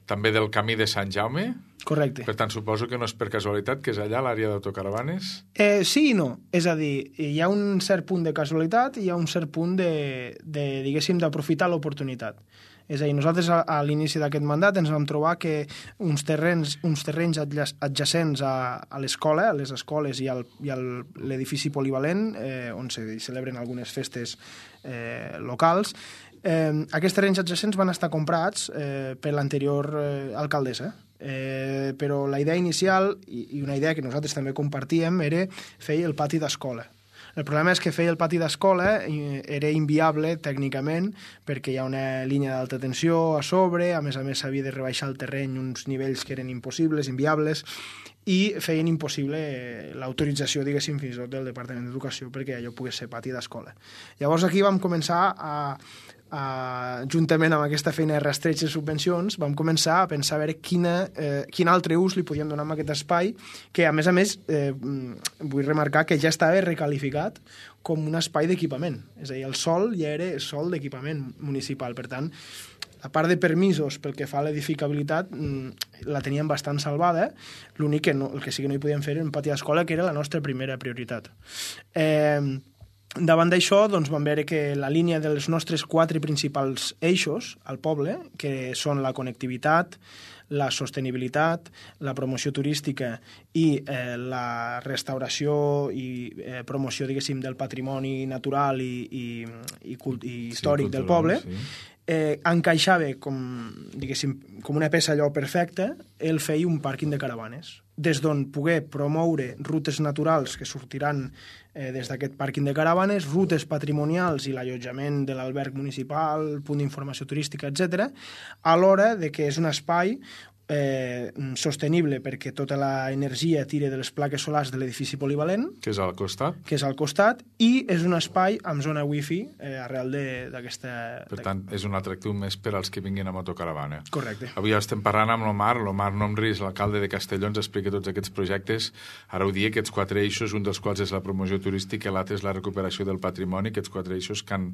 també del camí de Sant Jaume. Correcte. Per tant, suposo que no és per casualitat que és allà l'àrea d'autocaravanes? Eh, sí i no. És a dir, hi ha un cert punt de casualitat i hi ha un cert punt de, de diguéssim, d'aprofitar l'oportunitat. És a dir, nosaltres a, a l'inici d'aquest mandat ens vam trobar que uns terrenys, uns terrenys adjacents a, a l'escola, a les escoles i, al, i a l'edifici polivalent, eh, on se celebren algunes festes eh, locals, eh, aquests terrenys adjacents van estar comprats eh, per l'anterior eh, alcaldessa. Eh, però la idea inicial, i, i una idea que nosaltres també compartíem, era fer el pati d'escola. El problema és que fer el pati d'escola era inviable tècnicament perquè hi ha una línia d'alta tensió a sobre, a més a més s'havia de rebaixar el terreny uns nivells que eren impossibles, inviables, i feien impossible l'autorització, diguéssim, fins i tot del Departament d'Educació perquè allò pogués ser pati d'escola. Llavors aquí vam començar a... Uh, juntament amb aquesta feina de rastreig de subvencions, vam començar a pensar a veure quina, eh, quin altre ús li podíem donar a aquest espai, que a més a més eh, vull remarcar que ja estava recalificat com un espai d'equipament. És a dir, el sòl ja era sòl d'equipament municipal. Per tant, la part de permisos pel que fa a l'edificabilitat la teníem bastant salvada. L'únic que no, el que sí que no hi podíem fer era un pati d'escola, que era la nostra primera prioritat. Eh... Davant d'això, doncs, vam veure que la línia dels nostres quatre principals eixos al poble, que són la connectivitat, la sostenibilitat, la promoció turística i eh, la restauració i eh, promoció, diguéssim, del patrimoni natural i, i, i, cult i històric sí, del poble, sí. eh, encaixava com, diguéssim, com una peça allò perfecta el fer un pàrquing de caravanes, des d'on poder promoure rutes naturals que sortiran eh, des d'aquest pàrquing de caravanes, rutes patrimonials i l'allotjament de l'alberg municipal, punt d'informació turística, etcètera, alhora de que és un espai eh, sostenible perquè tota l'energia tira de les plaques solars de l'edifici polivalent, que és al costat. que és al costat, i és un espai amb zona wifi eh, arrel d'aquesta... Per tant, és un atractiu més per als que vinguin a motocaravana. Correcte. Avui estem parlant amb l'Omar, l'Omar Nomris, l'alcalde de Castelló, ens explica tots aquests projectes. Ara ho dia, aquests quatre eixos, un dels quals és la promoció turística, l'altre és la recuperació del patrimoni, aquests quatre eixos que han,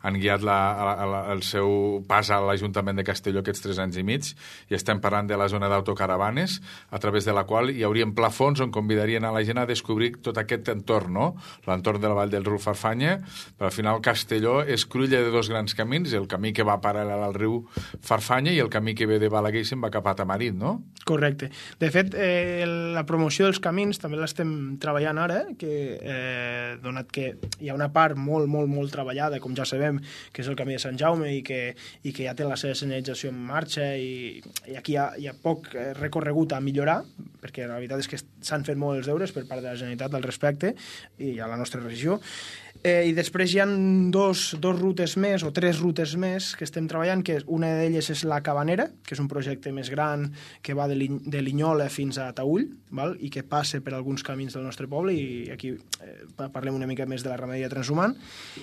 han guiat la, la, la, el seu pas a l'Ajuntament de Castelló aquests tres anys i mig, i estem parlant de la zona d'autocaravanes, a través de la qual hi hauríem plafons on convidarien a la gent a descobrir tot aquest entorn, no? L'entorn de la vall del riu Farfanya, però al final Castelló és cruïlla de dos grans camins, el camí que va paral·lel al riu Farfanya i el camí que ve de Balaguer i se'n va cap a Tamarit, no? Correcte. De fet, eh, la promoció dels camins també l'estem treballant ara, que eh, donat que hi ha una part molt, molt, molt treballada, com ja sabem, que és el camí de Sant Jaume i que, i que ja té la seva senyalització en marxa i, i aquí hi ha, hi ha poc recorregut a millorar, perquè la veritat és que s'han fet molt els deures per part de la Generalitat al respecte i a la nostra regió. Eh, I després hi ha dos, dos rutes més, o tres rutes més, que estem treballant, que una d'elles és la Cabanera, que és un projecte més gran que va de, Lin de Linyola fins a Taüll, val? I que passa per alguns camins del nostre poble, i aquí eh, parlem una mica més de la ramaderia transhumant.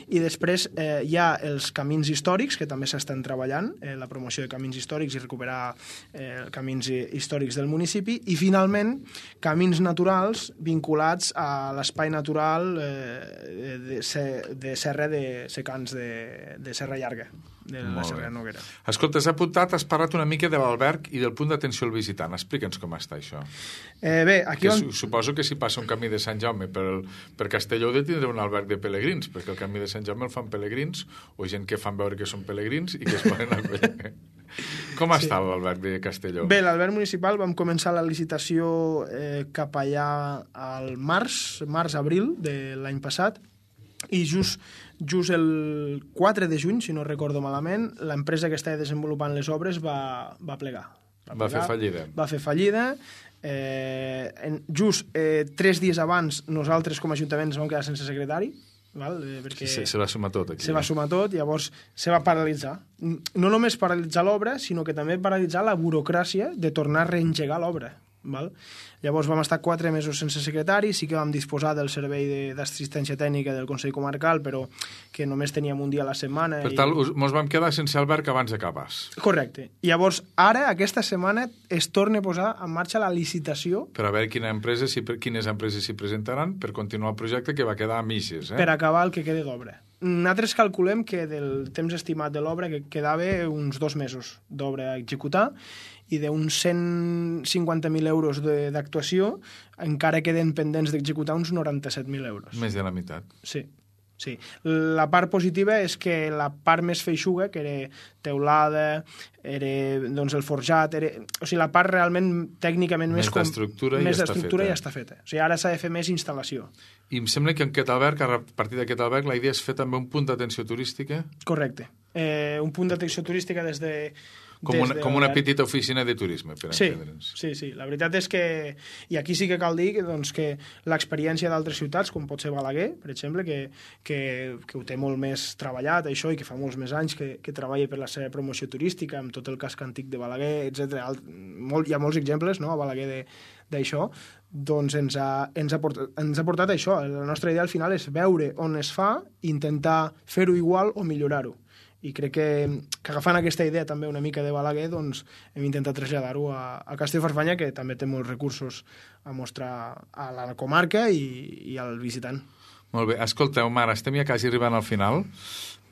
I després eh, hi ha els camins històrics, que també s'estan treballant, eh, la promoció de camins històrics i recuperar eh, camins històrics del municipi, i finalment camins naturals vinculats a l'espai natural eh, de de serra de secans de, de Serra Llarga, de la Molt Serra bé. Noguera. Escolta, has apuntat, has parlat una mica de l'alberg i del punt d'atenció al visitant. Explica'ns com està això. Eh, bé, aquí... Que on... su suposo que si passa un camí de Sant Jaume per, el, per Castelló de tindre un alberg de pelegrins, perquè el camí de Sant Jaume el fan pelegrins o gent que fan veure que són pelegrins i que es poden acollir. Com Sí. està l'alberg de Castelló? Bé, l'alberg municipal vam començar la licitació eh, cap allà al març, març-abril de l'any passat, i just, just el quatre de juny, si no recordo malament, l'empresa que estava desenvolupant les obres va, va plegar. Va plegar, fer fallida. Va fer fallida. Eh, en, just eh, tres dies abans nosaltres com a Ajuntament ens vam quedar sense secretari, val? Eh, perquè Se, se va sumar tot aquí. se va sumar tot, llavors se va paralitzar. No només paralitzar l'obra, sinó que també paralitzar la burocràcia de tornar a reengegar l'obra. Val? Llavors vam estar quatre mesos sense secretari, sí que vam disposar del servei d'assistència tècnica del Consell Comarcal, però que només teníem un dia a la setmana. Per i... tant, us, mos vam quedar sense alberg abans de Cabàs. Correcte. Llavors, ara, aquesta setmana, es torna a posar en marxa la licitació Per a veure quina empresa, si, quines empreses s'hi presentaran per continuar el projecte que va quedar a mitges. Eh? per acabar el que quede d'obra. Nosaltres calculem que del temps estimat de l'obra que quedava uns dos mesos d'obra a executar i d'uns cent cinquanta mil euros d'actuació encara queden pendents d'executar uns noranta-set mil euros. Més de la meitat. Sí, sí. La part positiva és que la part més feixuga, que era teulada, era doncs, el forjat, era... o sigui, la part realment tècnicament més... Més d'estructura com... ja més està d'estructura feta. ja està feta. O sigui, ara s'ha de fer més instal·lació. I em sembla que en aquest alberg, a partir d'aquest alberg, la idea és fer també un punt d'atenció turística, Correcte. Eh, un punt d'atenció turística des de... com des una, de com una l'alberg. petita oficina de turisme, per Sí, entendre'ns. sí, sí. La veritat és que... I aquí sí que cal dir que, doncs, que l'experiència d'altres ciutats, com pot ser Balaguer, per exemple, que, que, que ho té molt més treballat, això, i que fa molts més anys que, que treballa per la seva promoció turística, amb tot el casc antic de Balaguer, etcètera. Molt, hi ha molts exemples, no?, a Balaguer de, d'això, doncs ens ha, ens, ha portat, ens ha portat això. La nostra idea al final és veure on es fa, intentar fer-ho igual o millorar-ho. I crec que, que agafant aquesta idea també una mica de Balaguer, doncs hem intentat traslladar-ho a, a Castellfarfanya, que també té molts recursos a mostrar a la comarca i, i al visitant. Molt bé. Escolta, Omar, estem ja quasi arribant al final,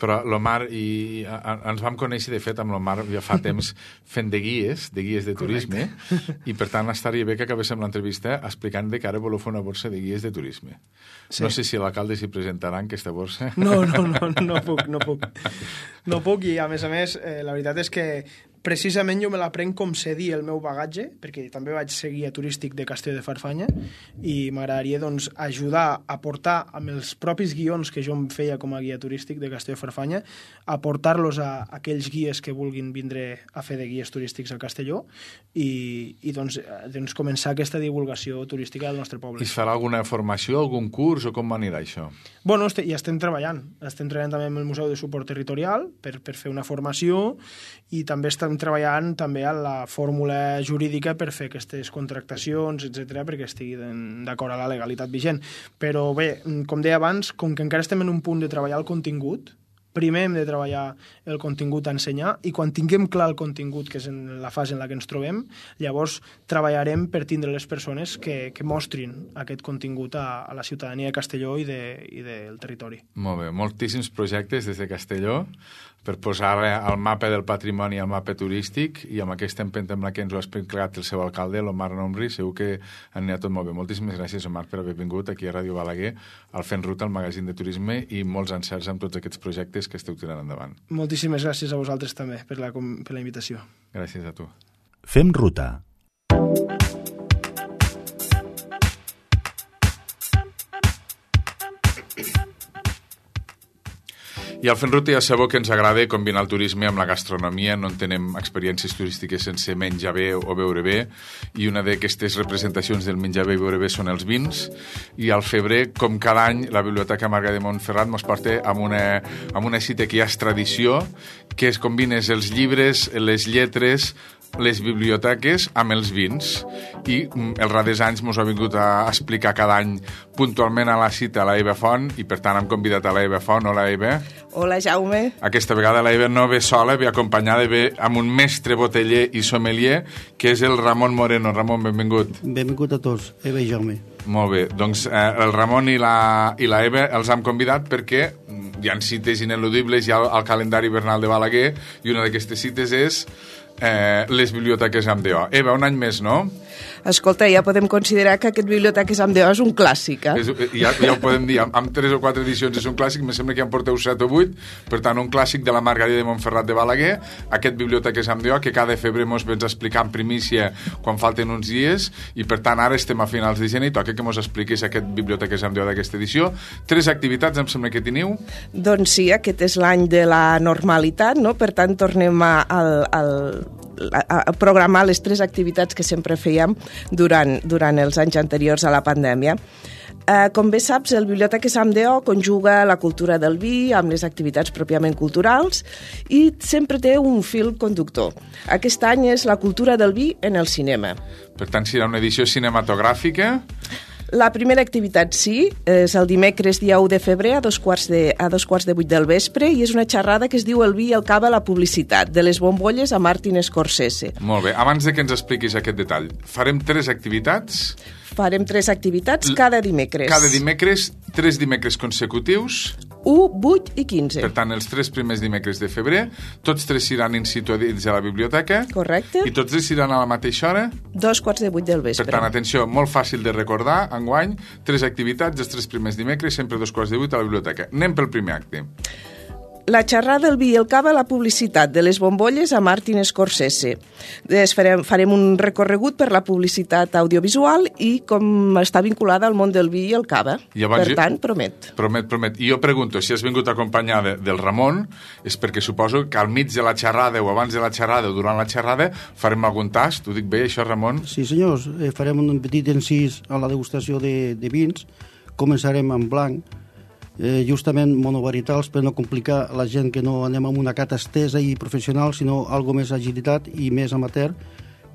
però l'Omar i a, a, ens vam conèixer, de fet, amb l'Omar ja fa temps fent de guies, de guies de turisme, i per tant estaria bé que acabéssim l'entrevista explicant de que ara voleu fer una borsa de guies de turisme. Sí. No sé si l'alcalde s'hi presentarà en aquesta borsa. No, no, no, no puc, no puc. No puc, i a més a més, eh, la veritat és que precisament jo me la prenc com cedir el meu bagatge, perquè també vaig ser guia turístic de Castelló de Farfanya, i m'agradaria doncs, ajudar a portar amb els propis guions que jo em feia com a guia turístic de Castelló de Farfanya, a portar-los a aquells guies que vulguin vindre a fer de guies turístics a Castelló i, i doncs, doncs començar aquesta divulgació turística del nostre poble. I es farà alguna formació, algun curs, o com anirà això? Bueno, este, ja estem treballant. Estem treballant també amb el Museu de Suport Territorial per, per fer una formació, i també estem estem treballant també a la fórmula jurídica per fer aquestes contractacions, etcètera, perquè estigui d'acord a la legalitat vigent. Però bé, com deia abans, com que encara estem en un punt de treballar el contingut, primer hem de treballar el contingut a ensenyar i quan tinguem clar el contingut, que és en la fase en la que ens trobem, llavors treballarem per tindre les persones que, que mostrin aquest contingut a, a la ciutadania de Castelló i, de, i del territori. Molt bé, moltíssims projectes des de Castelló per posar al mapa del patrimoni al mapa turístic i amb aquesta empenta amb la que ens ho ha explicat el seu alcalde, l'Omar Nomri, segur que anirà tot molt bé. Moltíssimes gràcies, Omar, per haver vingut aquí a Ràdio Balaguer, al Fent Ruta, al magazín de turisme, i molts encerts amb tots aquests projectes que esteu tirant endavant. Moltíssimes gràcies a vosaltres també per la, per la invitació. Gràcies a tu. Fem ruta. I al Fent Ruta ja sabeu que ens agrada combinar el turisme amb la gastronomia, no en tenem experiències turístiques sense menjar bé o beure bé, i una d'aquestes representacions del menjar bé i beure bé són els vins, i al febrer, com cada any, la Biblioteca Marga de Montferrat ens porta amb una, amb una cita que ja és tradició, que es combines els llibres, les lletres, les biblioteques amb els vins, i els darrers anys ens ha vingut a explicar cada any puntualment a la cita a la Eva Font, i per tant hem convidat a la Eva Font. Hola, Eva. Hola, Jaume. Aquesta vegada la Eva no ve sola, ve acompanyada, ve amb un mestre boteller i sommelier, que és el Ramon Moreno. Ramon, benvingut. Benvingut a tots, Eva i Jaume. Molt bé, doncs eh, el Ramon i la, i la Eva els hem convidat perquè hi ha cites ineludibles, hi ha el, el calendari hivernal de Balaguer, i una d'aquestes cites és eh, les biblioteques amb D O. Eva, un any més, no? Escolta, ja podem considerar que aquest Biblioteques amb D O és un clàssic, eh? És, ja, ja ho podem dir, amb, amb tres o quatre edicions és un clàssic, me sembla que en porteu set o vuit, per tant, un clàssic de la Margarida de Montferrat de Balaguer, aquest Biblioteques amb D O, que cada febrer mos vens a explicar en primícia quan falten uns dies, i per tant, ara estem a finals de gener i toca que mos expliquis aquest Biblioteques amb D O d'aquesta edició. Tres activitats, em sembla que teniu? Doncs sí, aquest és l'any de la normalitat, no? Per tant, tornem a, al, al, a, a programar les tres activitats que sempre fèiem durant, durant els anys anteriors a la pandèmia. Eh, com bé saps, el Biblioteques amb D O conjuga la cultura del vi amb les activitats pròpiament culturals i sempre té un fil conductor. Aquest any és la cultura del vi en el cinema. Per tant, serà una edició cinematogràfica. La primera activitat, sí, és el dimecres dia u de febrer a dos quarts de, a dos quarts de vuit del vespre, i és una xerrada que es diu El vi i el cava a la publicitat, de les bombolles a Martin Scorsese. Molt bé, abans de que ens expliquis aquest detall, farem tres activitats. Farem tres activitats cada dimecres. Cada dimecres, tres dimecres consecutius. u, vuit i quinze. Per tant, els tres primers dimecres de febrer, tots tres seran in situ dins de la biblioteca. Correcte. I tots tres seran a la mateixa hora. Dos quarts de vuit del vespre. Per tant, atenció, molt fàcil de recordar, enguany, tres activitats, els tres primers dimecres, sempre dos quarts de vuit a la biblioteca. Anem pel primer acte. La xerrada del vi i el cava a la publicitat, de les bombolles a Martin Scorsese. Des farem, farem un recorregut per la publicitat audiovisual i com està vinculada al món del vi i el cava. I per jo, tant, promet. Promet, promet. I jo pregunto, si has vingut acompanyada del Ramon, és perquè suposo que al mig de la xerrada o abans de la xerrada o durant la xerrada farem algun tast. T'ho dic bé, això, Ramon? Sí, senyors. Eh, farem un petit encís a la degustació de, de vins. Començarem amb blanc, Eh, justament monovarietals, per no complicar la gent que no anem amb una cata estesa i professional, sinó algo més agilitat i més amateur,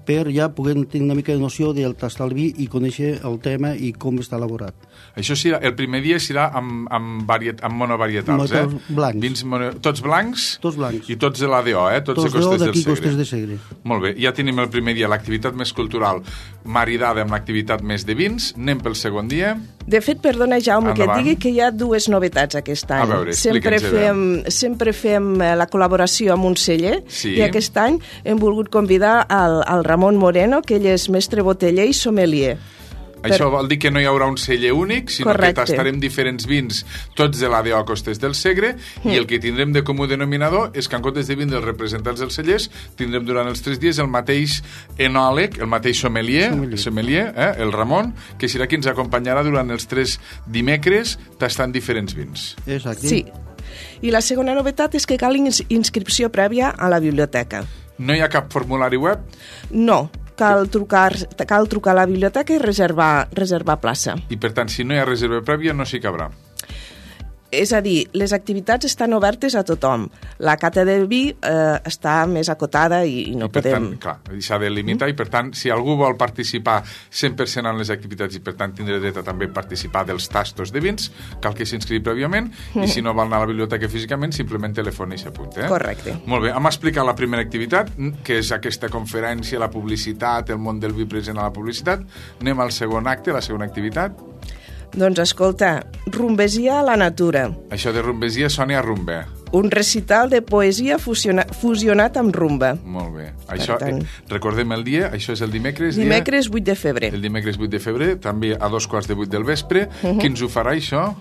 per ja poder tenir una mica de noció del tastar el vi i conèixer el tema i com està elaborat. Això serà, el primer dia serà amb, amb, variet, amb monovarietals, eh? Blancs. Vins mono, tots blancs? Tots blancs. I tots de la D O, eh? Tots, tots de Costes del Segre. Costes de Segre. Molt bé, ja tenim el primer dia, l'activitat més cultural maridada amb l'activitat més de vins. Anem pel segon dia. De fet, perdona, Jaume, Endavant. que et digui que hi ha dues novetats aquest any. A veure, sempre fem, sempre fem la col·laboració amb un celler, sí. I aquest any hem volgut convidar al, al Ramon Moreno, que ell és mestre boteller i sommelier. Això vol dir que no hi haurà un celler únic, sinó Correcte. que tastarem diferents vins, tots de la D O Costes del Segre, mm. i el que tindrem de comú denominador és que en comptes de vindre els representants dels cellers, tindrem durant els tres dies el mateix enòleg, el mateix sommelier, sommelier. sommelier eh, el Ramon, que serà qui ens acompanyarà durant els tres dimecres tastant diferents vins. Exacte. Sí. I la segona novetat és que cal ins inscripció prèvia a la biblioteca. No hi ha cap formulari web? No. Cal trucar, cal trucar a la biblioteca i reservar, reservar plaça. I per tant, si no hi ha reserva prèvia, no s'hi cabrà. és a dir, les activitats estan obertes a tothom. La cata de vi eh, està més acotada i, i no I per podem... tant, clar, s'ha de limitar, mm. i per tant, si algú vol participar cent per cent en les activitats i per tant tindrà dret a també participar dels tastos de vins, cal que s'inscrigui prèviament, mm. i si no vol anar a la biblioteca físicament, simplement telefona i s'apunta. Eh? Correcte. Molt bé, hem explicat la primera activitat, que és aquesta conferència, la publicitat, el món del vi present a la publicitat. Anem al segon acte, la segona activitat. Doncs escolta, rumbesia a la natura. Això de rumbesia sona a rumba. Un recital de poesia fusiona, fusionat amb rumba. Molt bé. Això, tant, eh, recordem el dia, això és el dimecres. Dimecres dia, vuit de febrer. El dimecres vuit de febrer, també a dos quarts de vuit del vespre. Uh -huh. Qui ens ho farà, això?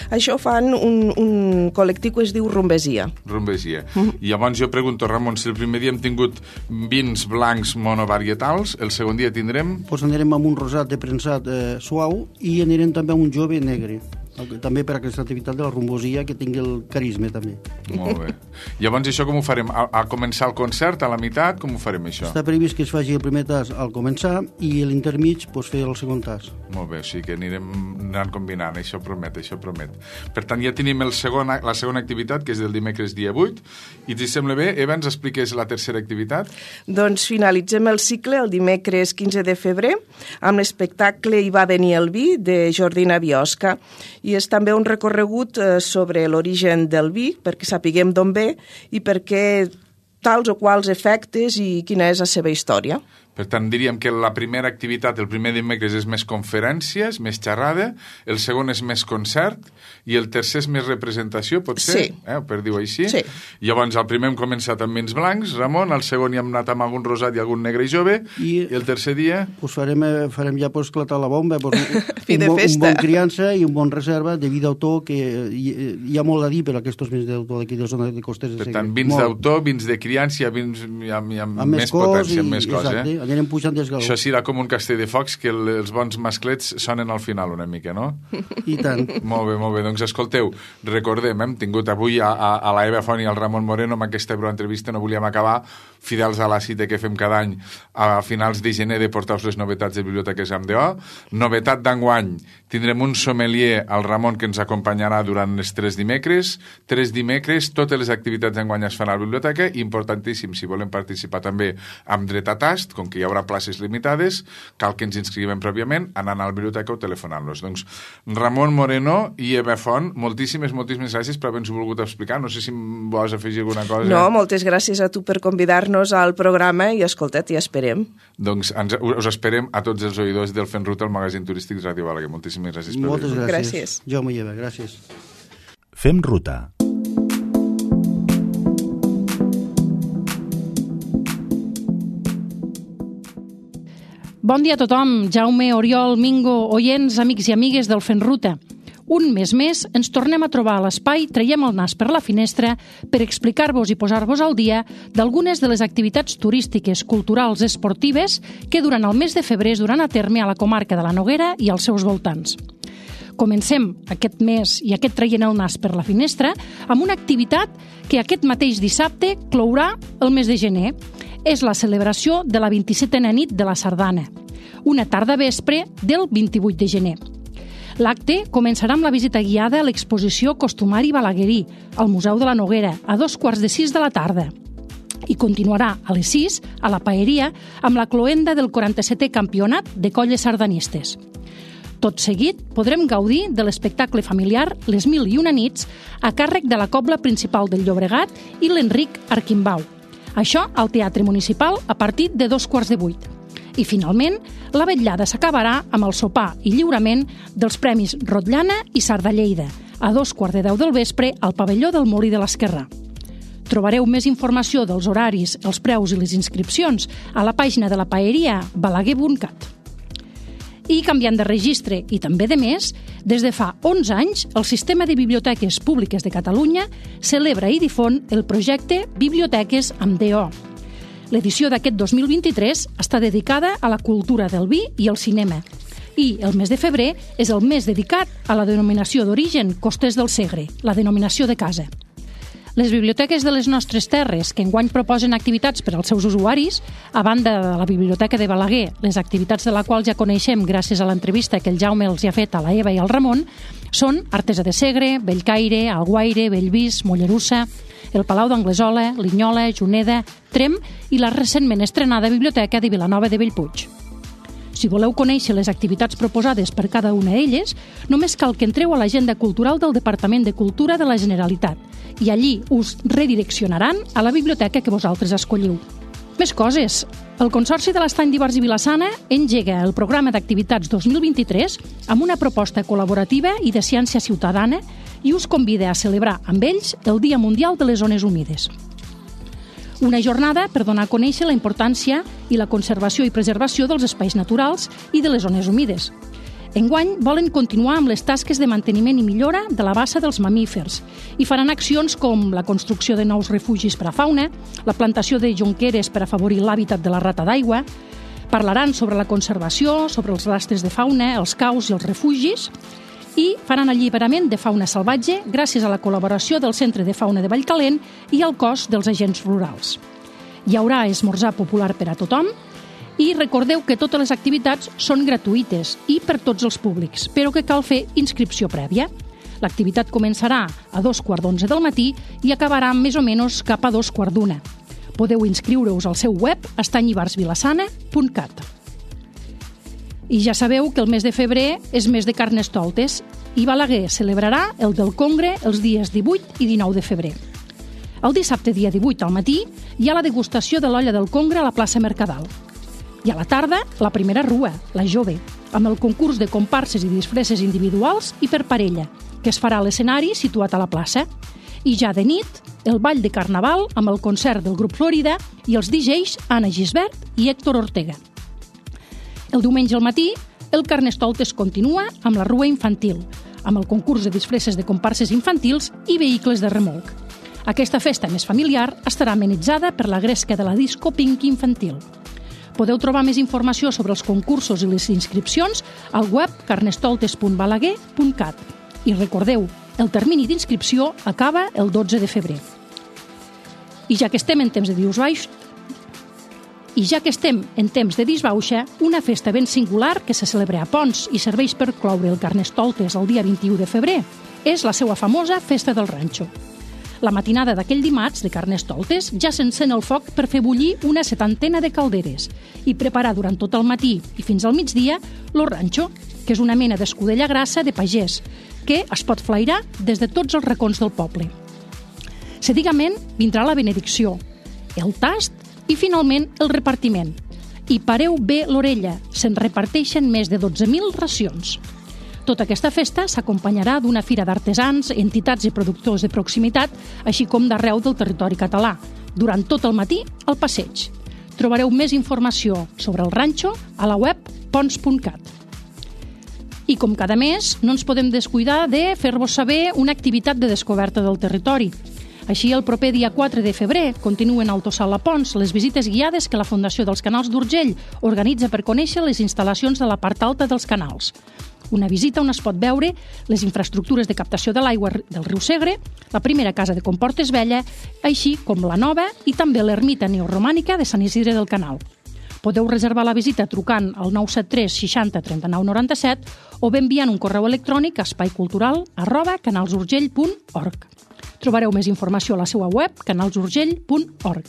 Això fan un, un col·lectiu que es diu Rumbesia. Rumbesia. Uh -huh. I llavors jo pregunto, Ramon, si el primer dia hem tingut vins blancs monovarietals, el segon dia tindrem... Pues anirem amb un rosat de prensat eh, suau i anirem també amb un jove negre. També per aquesta activitat de la rumbosia que tingui el carisma també. Molt bé. Llavors això com ho farem? A, a començar el concert, a la meitat, com ho farem això? Està previst que es faci el primer tas al començar i l'intermig pues, fer el segon tas. Molt bé, o sigui que anirem anant combinant, això promet, això promet. Per tant, ja tenim el segon, la segona activitat, que és del dimecres dia vuit, i si sembla bé, Eva, ens expliques la tercera activitat? Doncs finalitzem el cicle el dimecres quinze de febrer amb l'espectacle Hi va venir el vi, de Jordina Biosca, i és també un recorregut eh, sobre l'origen del vi, perquè sapiguem d'on ve i per què tals o quals efectes i quina és la seva història. Per tant, diríem que la primera activitat, el primer dimecres, és més conferències, més xerrada, el segon és més concert, i el tercer és més representació, pot ser? Sí. Eh, per dir-ho així? Sí. Llavors, el primer hem començat amb vins blancs, Ramon, el segon hi hem anat amb algun rosat i algun negre i jove, i, i el tercer dia... Pues farem, farem ja pues, esclatar la bomba, pues, un, Fi de un, bon, festa. un bon criança i un bon reserva de vi d'autor, que hi, hi ha molt a dir per aquests vins d'autor d'aquí de la zona de Costers de Per Segre. tant, vins molt. d'autor, vins de criança, vins amb, amb, amb més cos potència, amb i, més cos, exacte, eh? Anirem pujant d'esgaló. Això serà com un castell de focs, que el, els bons masclets sonen al final una mica, no? I tant. Molt bé, molt bé. Doncs escolteu, recordem, hem tingut avui a, a, a la Eva Font i al Ramon Moreno amb aquesta entrevista, no volíem acabar, fidels a la cita que fem cada any a finals de gener de portar-vos les novetats de Biblioteques amb D O. Novetat d'enguany, tindrem un sommelier, el Ramon, que ens acompanyarà durant els tres dimecres. Tres dimecres, totes les activitats d'enguany es fan a la biblioteca, importantíssim, si volem participar també amb dret a tast, com que hi haurà places limitades, cal que ens inscrivem pròpiament anant a la biblioteca o telefonant-los. Doncs Ramon Moreno i Eva Font, moltíssimes, moltíssimes gràcies per haver-nos volgut explicar. No sé si vols afegir alguna cosa. No, moltes gràcies a tu per convidar-nos al programa i escolta, t'hi esperem. Doncs ens, us esperem a tots els oïdors del Fent Ruta, el magazín turístic de Ràdio Balaguer. Moltíssimes gràcies per Moltes venir. gràcies. Gràcies. Jo m'hi llevo, gràcies. Fem ruta. Bon dia a tothom, Jaume, Oriol, Mingo, oients, amics i amigues del Fent Ruta. Un mes més ens tornem a trobar a l'espai, traiem el nas per la finestra per explicar-vos i posar-vos al dia d'algunes de les activitats turístiques, culturals, esportives que durant el mes de febrer es duran a terme a la comarca de la Noguera i als seus voltants. Comencem aquest mes i aquest traient el nas per la finestra amb una activitat que aquest mateix dissabte clourà el mes de gener. És la celebració de la vint-i-setena nit de la Sardana, una tarda vespre del vint-i-vuit de gener. L'acte començarà amb la visita guiada a l'exposició Costumari Balaguerí, al Museu de la Noguera, a dos quarts de sis de la tarda. I continuarà a les sis, a la Paeria, amb la cloenda del quaranta-setè Campionat de Colles Sardanistes. Tot seguit, podrem gaudir de l'espectacle familiar Les Mil i una nits a càrrec de la Cobla Principal del Llobregat i l'Enric Arquimbau. Això al Teatre Municipal a partir de dos quarts de vuit. I, finalment, la vetllada s'acabarà amb el sopar i lliurament dels Premis Rotllana i Sardallleida, a dos quarts de deu del vespre al pavelló del Molí de l'Esquerrà. Trobareu més informació dels horaris, els preus i les inscripcions a la pàgina de la Paeria balaguer punt cat. I canviant de registre i també de mes, des de fa onze anys, el Sistema de Biblioteques Públiques de Catalunya celebra i difon el projecte Biblioteques amb D O. L'edició d'aquest dos mil vint-i-tres està dedicada a la cultura del vi i el cinema. I el mes de febrer és el mes dedicat a la denominació d'origen Costers del Segre, la denominació de casa. Les biblioteques de les nostres terres, que enguany proposen activitats per als seus usuaris, a banda de la Biblioteca de Balaguer, les activitats de la qual ja coneixem gràcies a l'entrevista que el Jaume els hi ha fet a la Eva i al Ramon, són Artesa de Segre, Bellcaire, Alguaire, Bellvís, Mollerussa, el Palau d'Anglesola, Linyola, Juneda, Trem i la recentment estrenada Biblioteca de Vilanova de Bellpuig. Si voleu conèixer les activitats proposades per cada una d'elles, només cal que entreu a l'agenda cultural del Departament de Cultura de la Generalitat i allí us redireccionaran a la biblioteca que vosaltres escolliu. Més coses. El Consorci de l'Estany d'Ivars i Vila-sana engega el programa d'activitats dos mil vint-i-tres amb una proposta col·laborativa i de ciència ciutadana i us convida a celebrar amb ells el Dia Mundial de les Zones Humides. Una jornada per donar a conèixer la importància i la conservació i preservació dels espais naturals i de les zones humides. Enguany volen continuar amb les tasques de manteniment i millora de la bassa dels mamífers i faran accions com la construcció de nous refugis per a fauna, la plantació de jonqueres per afavorir l'hàbitat de la rata d'aigua, parlaran sobre la conservació, sobre els rastres de fauna, els caus i els refugis, i faran alliberament de fauna salvatge gràcies a la col·laboració del Centre de Fauna de Vallcalent i al cos dels agents rurals. Hi haurà esmorzar popular per a tothom i recordeu que totes les activitats són gratuïtes i per tots els públics, però que cal fer inscripció prèvia. L'activitat començarà a dos quarts d'onze del matí i acabarà més o menys cap a dos quarts d'una. Podeu inscriure-us al seu web estany ivars vilassana punt cat. I ja sabeu que el mes de febrer és mes de Carnestoltes i Balaguer celebrarà el del Congre els dies divuit i dinou de febrer. El dissabte dia divuit al matí hi ha la degustació de l'olla del Congre a la plaça Mercadal. I a la tarda, la primera rua, la jove, amb el concurs de comparses i disfresses individuals i per parella, que es farà a l'escenari situat a la plaça. I ja de nit, el ball de Carnaval amb el concert del grup Florida i els D Js Anna Gisbert i Héctor Ortega. El diumenge al matí, el Carnestoltes continua amb la rua infantil, amb el concurs de disfresses de comparses infantils i vehicles de remolc. Aquesta festa més familiar estarà amenitzada per la gresca de la disco Pink infantil. Podeu trobar més informació sobre els concursos i les inscripcions al web carnestoltes punt balaguer punt cat. I recordeu, el termini d'inscripció acaba el dotze de febrer. I ja que estem en temps de dius baix, I ja que estem en temps de disbauxa, una festa ben singular que se celebra a Pons i serveix per cloure el Carnestoltes el dia vint-i-u de febrer és la seva famosa Festa del Ranxo. La matinada d'aquell dimarts de Carnestoltes ja s'encén el foc per fer bullir una setantena de calderes i preparar durant tot el matí i fins al migdia lo ranxo, que és una mena d'escudella grassa de pagès, que es pot flairar des de tots els racons del poble. Seguidament vindrà la benedicció, el tast i finalment el repartiment. I pareu bé l'orella, se'n reparteixen més de dotze mil racions. Tota aquesta festa s'acompanyarà d'una fira d'artesans, entitats i productors de proximitat, així com d'arreu del territori català, durant tot el matí al passeig. Trobareu més informació sobre el ranxo a la web pons punt cat. I com cada mes, no ens podem descuidar de fer-vos saber una activitat de descoberta del territori. Així, el proper dia quatre de febrer continuen al Tossal a Pons les visites guiades que la Fundació dels Canals d'Urgell organitza per conèixer les instal·lacions de la part alta dels canals. Una visita on es pot veure les infraestructures de captació de l'aigua del riu Segre, la primera casa de Comportes Vella, així com la nova i també l'ermita neoromànica de Sant Isidre del Canal. Podeu reservar la visita trucant al nou set tres seixanta trenta-nou noranta-set o bé enviant un correu electrònic a espaicultural arroba canalsurgell punt org. Trobareu més informació a la seva web canalsurgell punt org.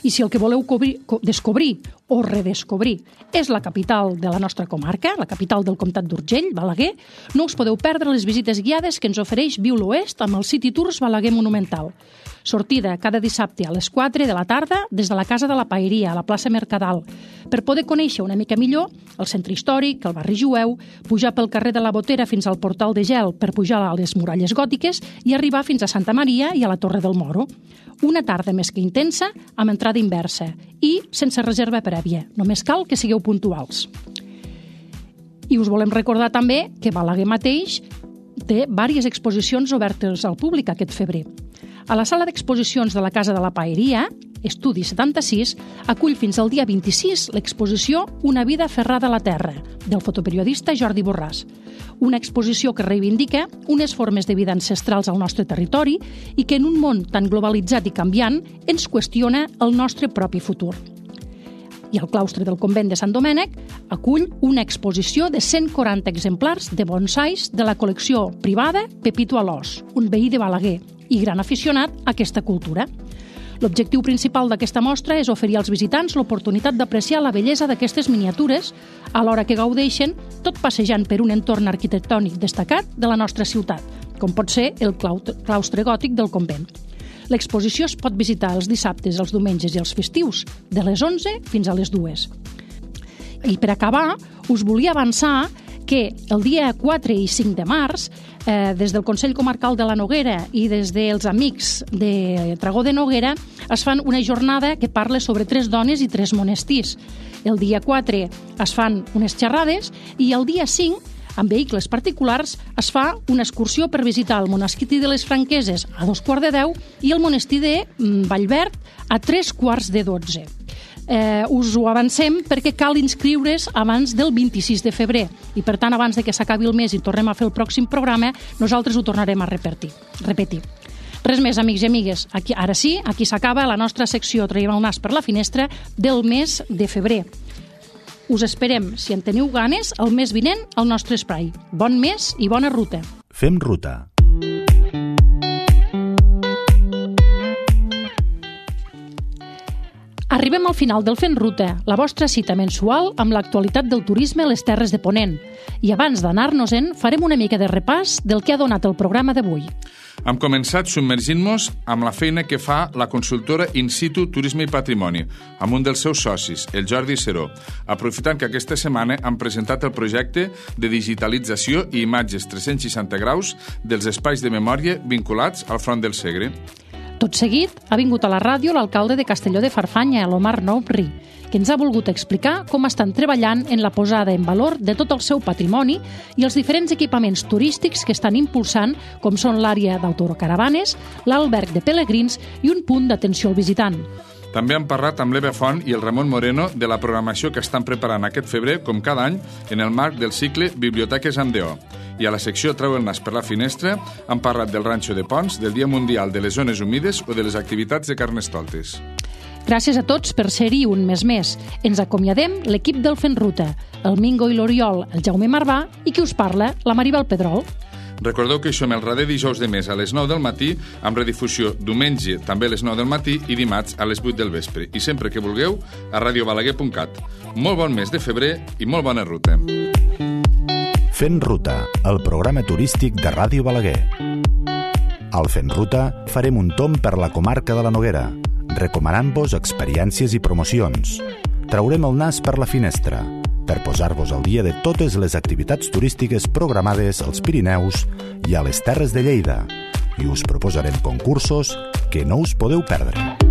I si el que voleu cobrir, co- descobrir o redescobrir és la capital de la nostra comarca, la capital del comtat d'Urgell, Balaguer, no us podeu perdre les visites guiades que ens ofereix Viu l'Oest amb el City Tours Balaguer Monumental. Sortida cada dissabte a les quatre de la tarda des de la Casa de la Paeria, a la plaça Mercadal, per poder conèixer una mica millor el centre històric, el barri jueu, pujar pel carrer de la Botera fins al Portal de Gel per pujar a les muralles gòtiques i arribar fins a Santa Maria i a la Torre del Moro. Una tarda més que intensa, amb entrada inversa i sense reserva prèvia. Només cal que sigueu puntuals. I us volem recordar també que Balaguer mateix té diverses exposicions obertes al públic aquest febrer. A la sala d'exposicions de la Casa de la Paeria, Estudi setanta-sis, acull fins al dia vint-i-sis l'exposició Una vida aferrada a la terra, del fotoperiodista Jordi Borràs. Una exposició que reivindica unes formes de vida ancestrals al nostre territori i que en un món tan globalitzat i canviant ens qüestiona el nostre propi futur. I el claustre del convent de Sant Domènec acull una exposició de cent quaranta exemplars de bonsais de la col·lecció privada Pepito Alòs, un veí de Balaguer i gran aficionat a aquesta cultura. L'objectiu principal d'aquesta mostra és oferir als visitants l'oportunitat d'apreciar la bellesa d'aquestes miniatures, alhora que gaudeixen tot passejant per un entorn arquitectònic destacat de la nostra ciutat, com pot ser el claustre gòtic del convent. L'exposició es pot visitar els dissabtes, els diumenges i els festius, de les onze fins a les dues. I per acabar, us volia avançar que el dia quatre i cinc de març, eh, des del Consell Comarcal de la Noguera i des dels amics de Tragó de Noguera, es fan una jornada que parla sobre tres dones i tres monestirs. El dia quatre es fan unes xerrades i el dia cinc, amb vehicles particulars, es fa una excursió per visitar el monestir de les Franqueses a dos quarts de deu i el monestir de Vallverd a tres quarts de dotze. Eh, us ho avancem perquè cal inscriure's abans del vint-i-sis de febrer i per tant abans de que s'acabi el mes i tornem a fer el pròxim programa nosaltres ho tornarem a repetir. repetir. Res més, amics i amigues. Aquí, ara sí, aquí s'acaba la nostra secció Traiem el nas per la finestra del mes de febrer. Us esperem, si en teniu ganes, el mes vinent al nostre espai. Bon mes i bona ruta. Fem ruta. Arribem al final del Fent Ruta, la vostra cita mensual amb l'actualitat del turisme a les Terres de Ponent. I abans d'anar-nos-en, farem una mica de repàs del que ha donat el programa d'avui. Hem començat submergint-nos amb la feina que fa la consultora In Situ Turisme i Patrimoni, amb un dels seus socis, el Jordi Seró, aprofitant que aquesta setmana han presentat el projecte de digitalització i imatges tres-cents seixanta graus dels espais de memòria vinculats al Front del Segre. Tot seguit, ha vingut a la ràdio l'alcalde de Castelló de Farfanya, l'Omar Nouri, que ens ha volgut explicar com estan treballant en la posada en valor de tot el seu patrimoni i els diferents equipaments turístics que estan impulsant, com són l'àrea d'autocaravanes, l'alberg de pelegrins i un punt d'atenció al visitant. També han parlat amb l'Eva Font i el Ramon Moreno de la programació que estan preparant aquest febrer, com cada any, en el marc del cicle Biblioteques amb D O. I a la secció Treu el nas per la finestra han parlat del Ranxo de Ponts, del Dia Mundial de les Zones Humides o de les activitats de Carnestoltes. Gràcies a tots per ser-hi un mes més. Ens acomiadem l'equip del Fent Ruta, el Mingo i l'Oriol, el Jaume Marvà i qui us parla, la Maribel Pedrol. Recordeu que hi som el darrer dijous de mes a les nou del matí, amb redifusió diumenge també a les nou del matí i dimarts a les vuit del vespre. I sempre que vulgueu, a radio balaguer punt cat. Molt bon mes de febrer i molt bona ruta. Fent Ruta, el programa turístic de Ràdio Balaguer. Al Fent Ruta farem un tomb per la comarca de la Noguera, recomanant-vos experiències i promocions. Traurem el nas per la finestra, per posar-vos al dia de totes les activitats turístiques programades als Pirineus i a les Terres de Lleida. I us proposarem concursos que no us podeu perdre.